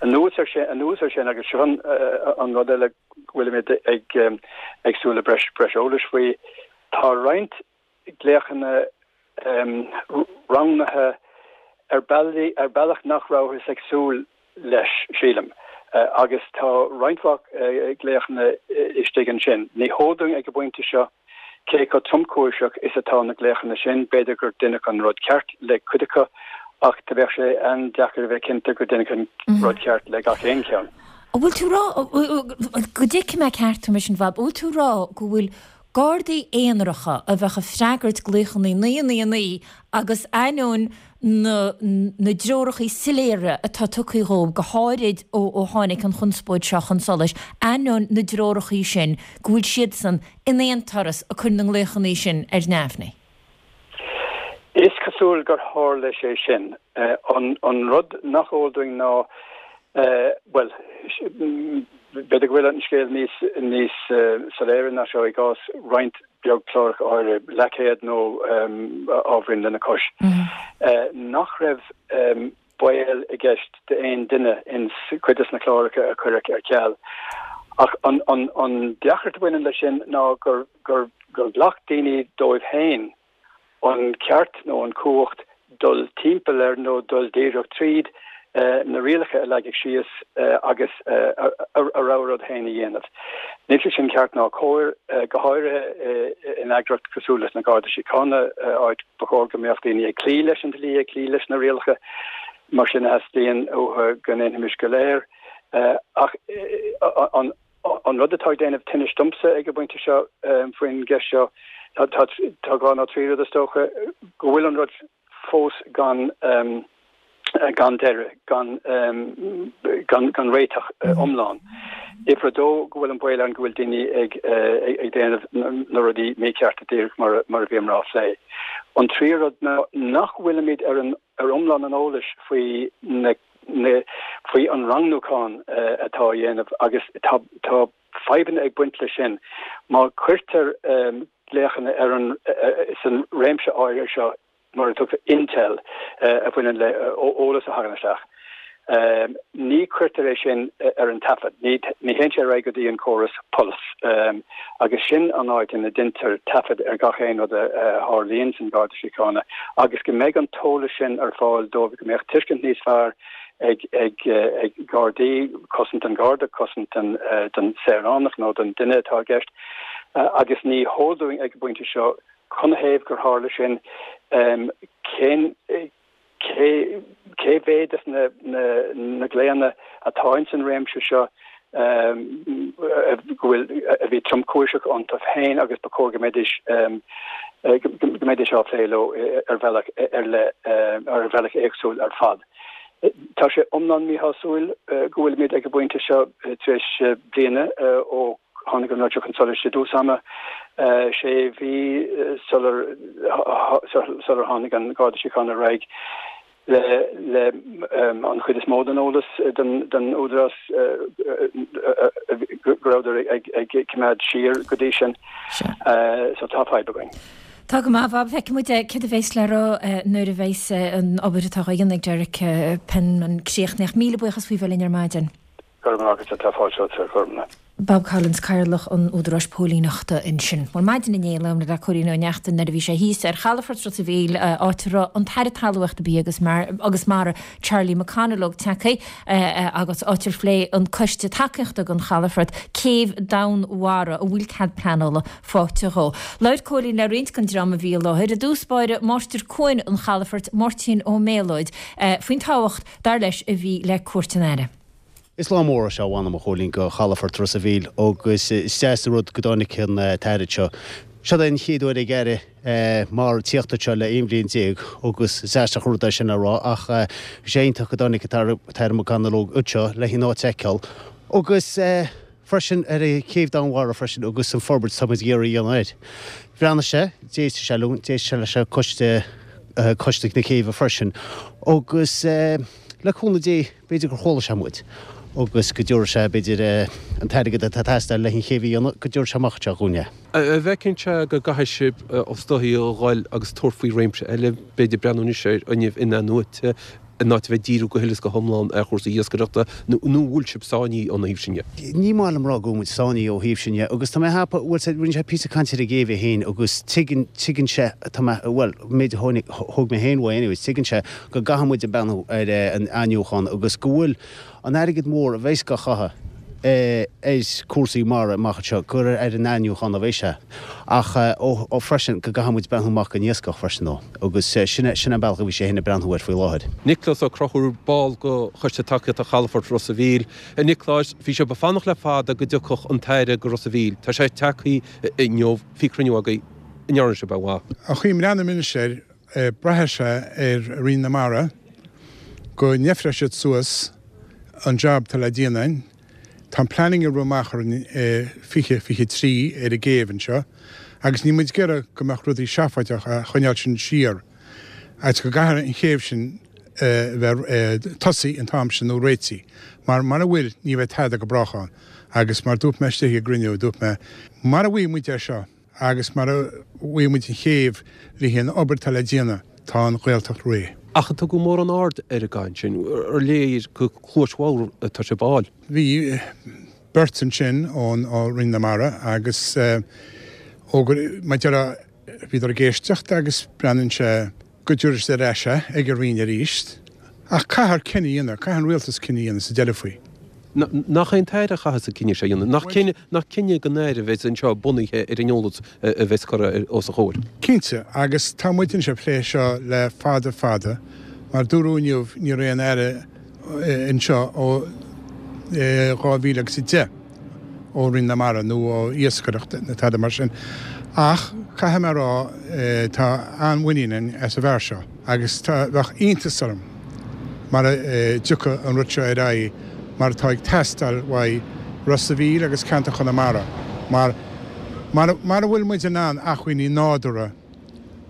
Anuas ar sin, anuas ar sin, agus seo an rud eile go bhfuilimid ag ag súil le breis breis eolais faoi, tá roinnt glaochanna roghnaithe ar bealaí, ar bealach nach rabhthas ag súil leis, sílim, agus tá roinnt mhaith glaochanna istigh ansin. Ní heol dúinn ag an bpointe seo cé chomh tromchúiseach is atá na glaochanna sin, b'fhéidir gur deineadh an rud ceart le cuid acu, ach do bheadh sé an-deacair a bheith cinnte gur deineadh an rud ceart le gach aon cheann. An bhfuil tú rá, go dtuigfidh mé ceart thú mar sin, Bhab, an bhfuil tú rá go bhfuil Gardaí aonaracha a bheadh ag freagairt glaochanna naoi a naoi a naoi agus ainneoin na na dtreoracha soiléire atá tugtha dhóibh, go háirid ó ó tháinig an chonspóid seo chun solais, ainneoin na dtreoracha sin, go bhfuil siadsan in aon turas ag cur na nglaochanna sin ar neamhní. Is cosúil gur tharla sé sin. An rud nach eol dúinn ná, bhuel, b'fhéidir go bhfuil an scéal níos níos soiléire ná seo i gcás roinnt beag cláracha áirithe, leathchéad nó ábhairín lena chois, nach raibh baol i gceist d'aon duine in cuid de na cláracha a cuireadh ar ceal. Ach an an an deacracht a bhaineann leis sin ná gur gur gur ghlac daoine dóibh féin an ceart nó an cumhacht dul timpeall ar nó dul díreach tríd na rialacha a leagadh síos agus a rogha rud féin a dhéanamh. Níl sé sin ceart ná cóir, go háirithe in eagraíocht cosúil leis na Garda Síochána, áit ba chóir go mbeadh daoine ag cloí leis an dlí, ag cloí leis na rialacha, mar sin a theastaíonn uathu go ndéanfaimis go léir. Ach an rud atá ag déanamh tinnis domsa ag an bpointe seo faoin gceist seo, tá dhá nó trí rud is dócha, go bhfuil an rud fós gan gan deireadh, gan gan réiteach iomlán. Uimhir a dó, go bhfuil an baol ann go bhfuil daoine ag ag déanamh na rudaí míchearta díreach mar mar a bhíomar á phlé. An tríú rud ná nach bhfuilimid ar an ar iomlán an eolais faoi na na faoi an rangnúchán atá á dhéanamh agus tá tá fadhbanna ag baint leis sin. Má chuirtear glaochanna ar an san réimse áirithe seo mar a tugtar intel a bhaineann le eolas a thagann isteach. Ní chuirtear é sin ar an taifead, ní théann sé ar aghaidh go dtí an córas Pulse agus sin an áit ina ndeintear taifead ar gach aon rud a tharlaíonn san Garda Síochána agus go mbeidh an t-eolas sin ar fáil dóibh, go mbeadh tuiscint níos fearr ag ag Gardaí, cosaint an Gharda, cosaint don saoránach nó don duine atá i gceist agus ní heol dúinn ag an bpointe seo Canathaobh gur tharla sin? Cén, cé, cé mhéad de na, na, na glaonna atá ins an réimse seo go bhfuil, a bhí tromchúiseach iontu féin agus ba chóir go mbeidís, go mbeidís á phlé leo ar bhealach ar leith, ar bhealach éagsúil ar fad. Tá sé iomlán míshásúil go bhfuilimid ag an bpointe seo tar éis bliana ó Tháinig an rud seo chun solais i dtús ama, sé mhí sular sular tháinig an Garda Síochána ar aghaidh le le an chuid is mó den eolas don don Údarás go rabhadar ag ag coimeád siar go dtí sin. So tá fadhb againn. Tá go maith, a Bhob. Feicfidh muid céard a bheas le rá nuair a bheas an obair atá á dhéanamh ag Derek Penman críochnaithe. Míle buíochas faoi bheith linn ar maidin. Go raibh maith agat, tá fáilte romhat, go raibh maith. Bob Collins, Cathaoirleach an Údaráis Póilíneachta ansin. Bhuel, maidin inné, labhair mé le Cóilín Ó Neachtain nuair a bhí sé thíos ar chalafort Ros a' Mhíl, áit a raibh an tAire Talmhaíochta, Bia agus agus Mara, Charlie McConalogue tagtha agus áit ar phléigh an Coiste Tacaíochta don Chalafort céibh Domhainmhara a bhfuil cead pleanála faighte dhó. Labhair Cóilín le roinnt den dream a bhí i láthair, i dtús báire Máistir Cuain an Chalafoirt, Máirtín Ó Méalóid, faoin tábhacht, dar leis, a bhí le cuairt an Aire. Is lá mór é seo, mh'anam, a Chóilín, do chalafort Ros a' Mhíl agus is deas an rud go dtáinig an tAire anseo. Seo é an chéad uair ag Aire mara tíocht anseo le aon bhliain déag agus is aisteach an rud é sin a rá ach bhí sé iontach go dtáinig an tAire McConalogue anseo le an áit a fheiceáil agus freisin ar an chéibh Domhainmhara freisin agus an forbairt atá muid ag iarraidh a dhéanamh air. Bhreathnaigh sé, d'éist sé linn, d'éist sé leis an coiste, coiste na céibhe freisin agus le cúnamh Dé b'fhéidir gur chuala sé muid agus go dtabharfaidh sé b'fhéidir an t-airgead atá ag teastáil le an chéibh a dhéanamh, go dtabharfaidh sé amach anseo dhúinn é. An bhfeiceann sé go gcaithfidh sibh is dóichí a dhul agus tabhairt faoi réimse eile, b'fhéidir breathnú anois ar fhuinneamh in-athnuaite, in áit a bheith ag díriú go huile is go hiomlán ar chúrsaí iascaireachta, nó an bhfuil sibh sáinnithe ón thaobh sin dhe? Ní maith liom rá go bhfuil muid sáinnithe ó thaobh sin dhe agus tá mé ag ceapadh, bhuel, rinne sé píosa cainte ar an gcéibh é féin agus tuigeann, tuigeann sé, tá mé, bhuel, an méid a tháinig, thóg mé féin uaidh anyways, tuigeann sé go gcaithfidh muid a breathnú ar an athnuachán agus go bhfuil an airgead mór a bheas á chaitheamh ar chúrsaí mara amach anseo, gur ar an athnuachán a bheidh sé. Ach ó freisin go gcaithfidh muid breathnú amach don iascach freisin ó agus sin é sin an bealach a bhí sé féin ag breathnú air faoi láthair. Nioclás Ó Conchúir, ball de Choiste Tacaíochta Chalafort Ros a' Mhíl. A Niocláis, bhí sibh ag fanacht le fada go dtiocfadh an tAire go Ros a' Mhíl. Tá sé tagtha inniu, bhí cruinniú agaibh, an ndearna sibh aon mhaith? An chaoi a mbreathnaím anois air, braithfidh sé ar Roinn na Mara go ndeifreoidh siad suas an jab atá le déanamh againn. Tá an planning ag rith amach orainn i fiche fiche trí ar an gcéibh anseo agus níl muid ag iarraidh go mbeadh rudaí seafóideach a choinneáil sin siar agus go gcaithfidh an chéibh sin a bheith tosaithe an t-am sin nó réitithe mar mara bhfuil ní bheidh tada go brách ann agus mar dúirt mé istigh i gcruinniú dúirt mé mara bhfaighidh muid é seo Agus mara bhfaighidh muid an chéibh le haghaidh an obair atá le déanamh, tá an Ghaeltacht réidh. Ach an tugadh mórán aird ar an gcaint sin? Ar léir gur cluais bhodhar atá sibh a fháil? Bhí. beirt ansin ón Roinn na Mara agus ó gur, mar a déarfá, bhíodar ag éisteacht agus breathnaíonn sé go dtabharfaidh siad ar ais é ag an Roinn arís. Ach caithfear cinneadh a dhéanamh, caithfidh an rialtas cinneadh a dhéanamh sa deireadh faoi. Nach é an tAire a chaithfeas an cinneadh seo a dhéanamh? Nach cinneadh, nach cinneadh den Aire a bheas anseo bunaithe ar an eolas a bheas curtha os a chomhair? Cinnte, agus tá muid anois ag plé seo le fada fada. Mar dúradh inniu, ní raibh aon Aire anseo ó dhá mhíle agus a deich ó Roinn na Mara nó ó iascaireacht nó tada mar sin. Ach caithfidh mé a rá, tá an-mhuinín againn as an bhfear seo agus tá, bheadh iontas orm mara dtiocfadh an rud seo ar aghaidh mar atá ag teastáil uaidh Ros a' Mhíl agus ceantar Chonamara mar mara bhfuil muid in ann acmhainní nádúrtha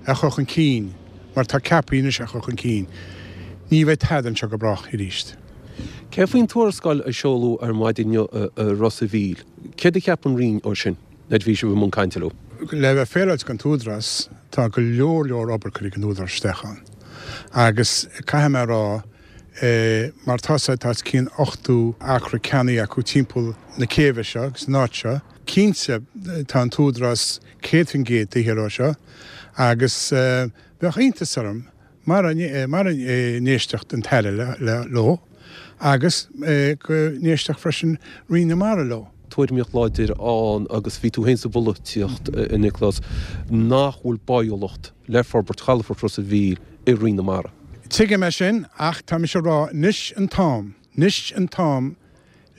a chur chun cinn mar atá ceaptha anois a chur chun cinn, ní bheidh tada anseo go brách arís. Céard faoin tuarascáil a seoladh ar maidin inniu i Ros a' Mhíl? Céard a cheap an Roinn ó sin nuair a bhí sibh i mbun cainte leo? Le bheith féaráilte don t-údarás, tá go leor leor obair curtha ag an údarás isteach ann agus caithfidh mé a rá mar tá sé, tá os cionn ochtó acra ceannaithe acu timpeall na céibhe seo agus an áit seo. Cinnte tá an t-údarás céad faoin gcéad taobh thiar ó seo agus bheadh iontas orm mara n-éistfeadh an tAire leo agus go n-éistfeadh freisin Roinn na Mara leo. Tuairimíocht láidir ann agus bhí tú féin sa bpolaitíocht, a Nioclás, nach bhfuil báúlacht le forbairt chalafort Ros a' Mhíl i Roinn na Mara. Tuigim é sin ach tá mise ag rá anois an t-am, anois an t-am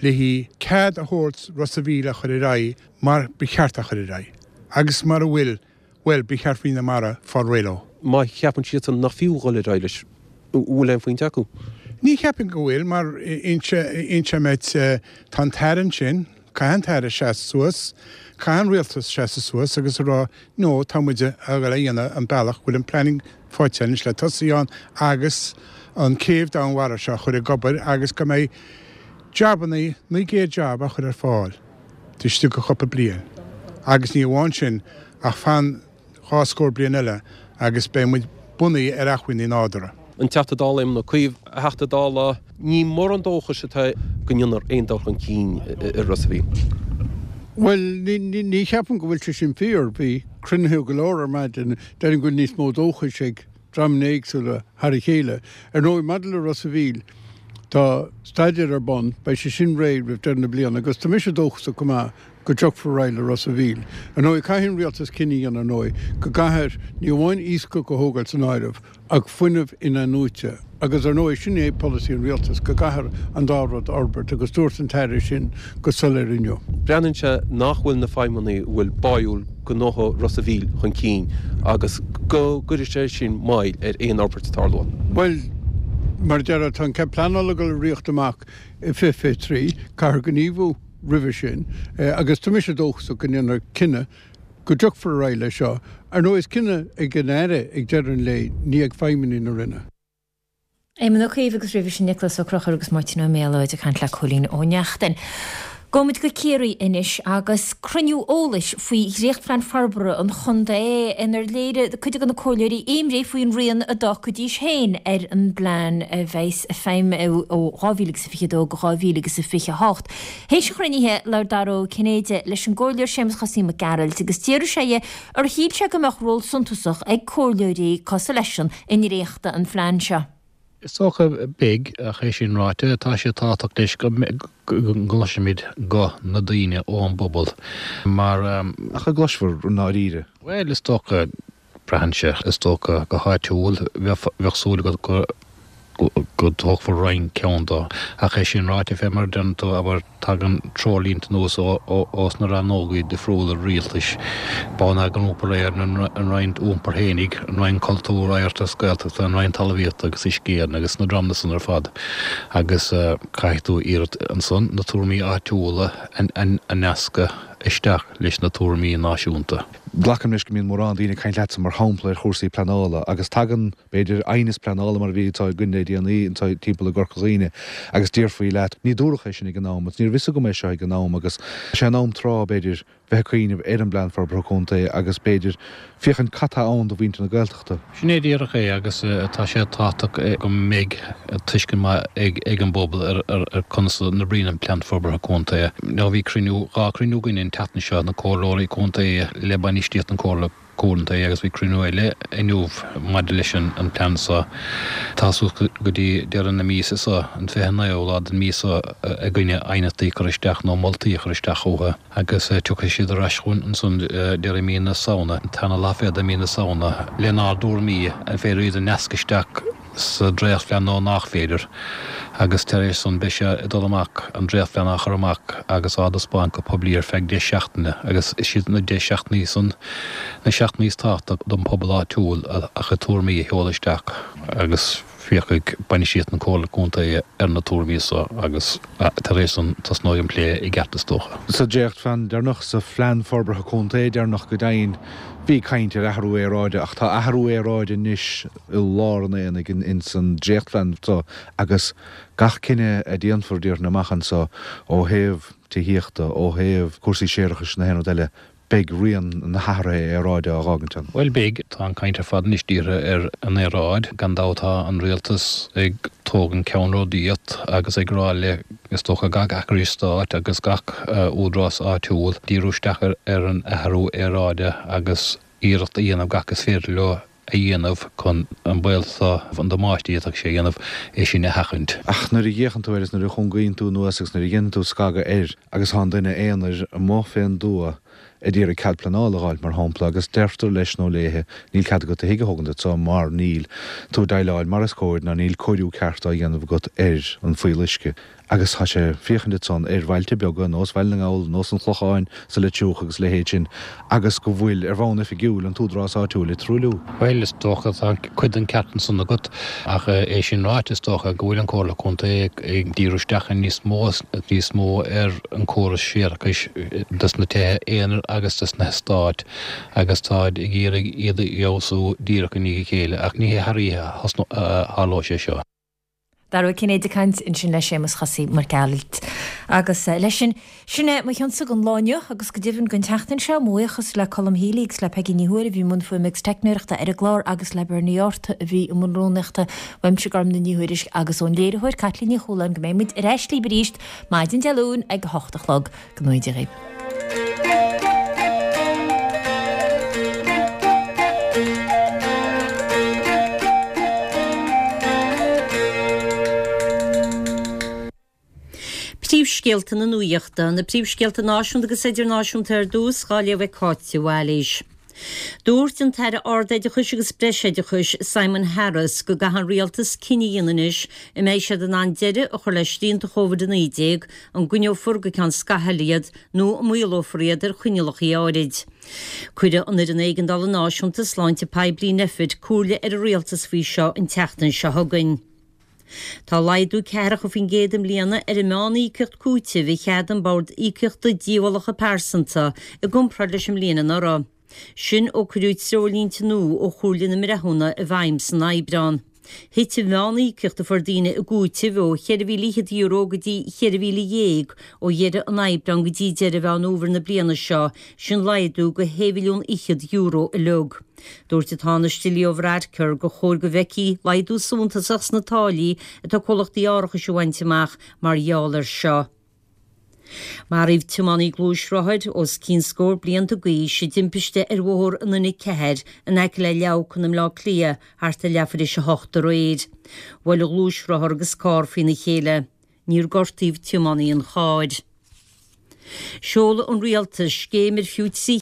le haghaidh cead a thabhairt Ros a' Mhíl a chur ar aghaidh mar ba cheart a chur ar aghaidh agus mara bhfuil, bhuel, ba cheart Roinn na Mara fáil réidh leo. Má cheapann siadsan nach fiú dhul ar aghaidh leis, an bhfuil aon phointe acu? Ní cheapaim go bhfuil, mar inse meit, tá an tAire ansin, caithfidh an tAire seasamh suas, caithfidh an Rialtas seasamh suas agus a rá no, tá muid a dhul a dhéanamh an bealach go bhfuil an planning faighte anois le tosaí ann agus an céibh domhainmhara seo a chur ag obair agus go mbeidh jabannaí, naoi gcéad jab á chur ar fáil istigh de chúpla bliain agus ní amháin sin ach fan dhá scór bliain eile agus beidh muid bunaithe ar acmhainní nádúrtha. An Teachta Dála Éamon Ó Cuív, A Theachta Dála, ní mórán dóchais atá go ndéanfar aon dul chun cinn i Ros a' Mhíl. Bhuel, ní cheapaim go bhfuil sé sin fíor. Bhí cruinnithe go leor ar maidin. Déarfainn go bhfuil níos mó dóchais ag dreamanna éagsúla thar a chéile. Ar ndóigh, maidir le Ros a' Mhíl, tá staidéar ar bun, beidh sé sin réidh roimh deireadh na bliana agus tá mise dóchasach go maith go dtiocfar ar aghaidh le Ros a' Mhíl. Ar ndóigh, caithfidh an rialtas cinneadh a dhéanamh, ar ndóigh, go gcaithfear ní amháin iascach a thógáil san áireamh ach fuinneamh in-athnuaite agus, ar ndóigh, sin é polasaí an rialtais, go gcaithfear an dá rud a fhorbairt agus dúirt an tAire sin go soiléir inniu. Breathnaíonn sé nach bhfuil na feidhmeannaigh a bhfuil báúil go ngabhfaidh Ros a' Mhíl chun cinn agus go gcuirfidh sé sin moill ar aon fhorbairt a tarlóidh. Bhuel, mar a déarfá, tá an cead pleanála ag dul a rith amach i fiche fiche trí, caithfear gníomhú. roimhe sin agus tá mise dóchasach go ndéanfar cinneadh go dtiocfar ar aghaidh leis seo. Ar ndóigh is cinneadh ag an Aire ag deireadh an lae, ní ag feidhmeannaigh na Roinne. Éamon Ó Cuív agus roimhe sin Nioclás Ó Conchúir agus Máirtín Ó Méalóid ag caint le Cóilín Ó Neachtain. Gabhfaimid go Ciarraí anois agus cruinniú eolais faoi dhréachtphlean forbartha an chontae inar léirigh cuid de na comhairleoirí imní faoin rian a d'fhágfaidís féin ar an bplean a bheas i bhfeidhm ó dhá mhíle agus a fiche dó go dhá mhíle agus a fiche a hocht. Théis an chruinnithe, labhair Dara Ó Cinnéide leis an gComhairleoir Séamus Chosaí Mac Gearailt agus d'fhiafraigh sé dhe ar shíl sé go mbeadh ról suntasach ag comhairleoirí cosúil leisean i ndréachtadh an phlean seo. Is dócha, beidh, ach é sin ráite, tá sé tábhachtach leis go gcloisfimid guth na daoine ón bpobal mar. Ach an gcloisfear i ndáiríre? Bhuel, is dócha, braitheann sé, is dócha, go háitiúil, bheadh súil agat go. go dtógfar roinnt ceann dó. Ach é sin ráite, fé mar a deireann tú, abair, tagann treoirlínte anuas ós na rannógaí difriúla rialtais, Bonneagar Iompair Éireann, an Roinn Iompair fhéinig, an Roinn Cultúir, Oidhreachta agus Gaeltachta, an Roinn Talmhaíochta agus Uisce Éireann agus na dreamanna san ar fad. Agus caithfidh tú iarracht ansan na tuairimí áitiúla a nascadh isteach leis na tuairimí náisiúnta. Glacaim leis go mbíonn mórán daoine ag caint leatsa, mar shampla, ar chúrsaí pleanála agus tagann, b'fhéidir, aighneas pleanála mar a bhí anseo againn le déanaí anseo timpeall i gCorca Dhuibhne agus déarfaí leat, ní dúradh é sin ag an am agus ní raibh fhios agam é seo ag an am agus sé an am tráth, b'fhéidir, bheith ag cuimhneamh ar an bPlean Forbartha Contae agus b'fhéidir féachaint cad tá ann do mhuintir na Gaeltachta. Sin é díreach é agus tá sé tábhachtach go mbeidh tuiscint maith ag an bpobal ar conas a n-oibríonn an Plean Forbartha Contae. Now bhí cruinniú, dhá chruinniú againn an tseachtain seo, na comhairleoirí contae le bainistíocht na Comhairle Contae agus bhí cruinniú eile inniu maidir leis an plean seo. Tá suas go dtí deireadh na míosa seo, an fiche naoú lá den mhí seo, againne aighneachtaí a chur isteach nó moltaí a chur isteach chucu agus tiocfaidh siad ar ais chugainn ansan deireadh mí na Samhna, an tarna lá fichead de mhí na Samhna, lenár dtuairimí an féidir iad a nascadh isteach sa dréachtphlean nó nach féidir, agus tar éis san beidh sé ag dul amach, an dréachtphlean á chur amach agus á dtaispeáint go poiblí ar feadh deich seachtaine, agus is iad na deich seachtainí san na seachtainí is tábhachtaí don phobal áitiúil a chuid tuairimí a sheoladh isteach agus féachfaidh bainistíocht na Comhairle Contae ar na tuairimí so agus tar éis san tosnóidh an plé i gceart is dócha. Sa dréachtphlean deireanach, sa Phlean Forbartha Contae deireanach go deimhin, Bhí caint ar athrú aeráide ach tá athrú aeráide anois i lár an aonaigh ins an dréachtphlean seo agus gach cinneadh a déanfar déarfainn amach anso ó thaobh tithíochta, ó thaobh cúrsaí séarachais nó aon rud eile, beidh rian na hathraithe aeráide á dh'fhágaint ann. Bhuel beidh. Tá an caint ar fad anois dírithe ar an aeráid. Gan dabht tá an rialtas ag tógaint ceannródaíocht agus ag rá le, is dócha, gach eagraíocht stáit agus gach údarás áitiúil díriú isteach ar an athrú aeráide agus iarracht a dhéanamh gach is féidir leo a dhéanamh chun an baol seo, an damáiste a d'fhéadfadh sé a dhéanamh, é sin a sheachaint. Ach nuair a fhéachann tú air is nuair a chúngaíonn tú anuas agus nuair a dhéanann tú scagadh air agus tá an duine aonair amuigh fén dtuath ag iarraidh cead pleanála a dh'fháilt, mar shampla, agus deirtear leis nó léithe, níl cead agat do thigh a thógaint anso mar níl tú ag déileáil mar is cóir ná níl cóiriú ceart á dhéanamh agat ar an fuíolluisce. Agus tá sé ag féachaint ansan ar bhailte beaga, nós Bhaile na nGall, nós an Chlocháin sa Leitriúch agus a leithéid sin, agus go bhfuil, ar bhonn oifigiúil, an t-údarás áitiúil ag truailliú. Bhuel, is dócha, tá cuid den ceart ansan agat, ach é sin ráite, is dócha go bhfuil an Chomhairle Contae ag díriú isteach níos mó níos mó ar an córas séarachais dos na tithe aonair agus dos na heastáit agus táid ag iarraidh iad a fheabhsú díreach i ndiaidh a chéile, ach ní hé thar oíche a tharlóidh sé seo. Dara Ó Cinnéide ag caint ansin le Séamus Chosaí Mac Gearailt. Agus leis sin, sin é mo chionsa don lá inniu agus go deimhin don tseachtain seo. Mo bhuíochas le Colm Healy agus le Peggy Ní Thuathail a bhí i mbun fuaime agus teicneoireachta ar an gclár agus le Bernie Arthur a bhí i mbun rúnaíochta. Uaimse Gormfhlaith Ní Thuairisg agus ón léiritheoir Caitlín Ní Chualáin go mbeidh muid ar ais libh arís maidin Dé Luain ag a hocht a chlog. Go ngnóthaí Dia dhaoibh. Príomhscéalta na Nuachta, Na príomhscéalta náisiúnta agus idirnáisiúnta ar dtús, dhá léamh ag Cáit de Bhailís. Dúirt an tAire Ardoideachais agus Breisoideachais, Simon Harris, go gcaithfidh an Rialtas cinneadh a dhéanamh anois an mbeidh siad in ann deireadh a chur le srianta Covid a naoi déag, an gcoinneofar go ceann scaithimh iad nó an maolófar iad ar choinníollacha áirid. Cuirfidh an Fhoireann Éigeandála Náisiúnta Sláinte Poiblí, Nphet, comhairle ar an Rialtas faoi seo an tseachtain seo chugainn. Tá laghdú ceathracha faoin gcéad i mbliana ar an meán-íocaíocht cúitimh a cheadaigh an Bord Íocaíochta Díobhálacha Pearsanta i gcomparáid leis an mbliain anuraidh. Sin ó cuireadh treoirlínte nua ó Chomhairle na mBreithiúna i bhfeidhm san Aibreán. Thit an mheán-íocaíocht a fuair daoine i gcúiteamh ó cheithre mhíle fhichead euro go dtí cheithre mhíle dhéag ó dheireadh an Aibreáin go dtí deireadh Mheán Fhómhair na bliana seo, sin laghdú go shé mhilliún fhichead euro uilig. Dúirt an Tánaiste Leo Varadkar gur chóir go bhfeicfí laghdú suntasach sna táillí atá comhlachtaí árachais a bhaint amach mar gheall air seo. Maraíodh tiománaí gluaisrothair os cionn scór blianta d'aois i dtimpiste ar bhóthar an N a ceathair in aice le Leamhcán i mBleá Cliath thart ar leathuair théis a hocht aréir. Bhuail an gluaisrothar agus carr faoina chéile. Níor gortaíodh tiománaí an chairr. Seolfaidh an Rialtas scéim ar fiú trí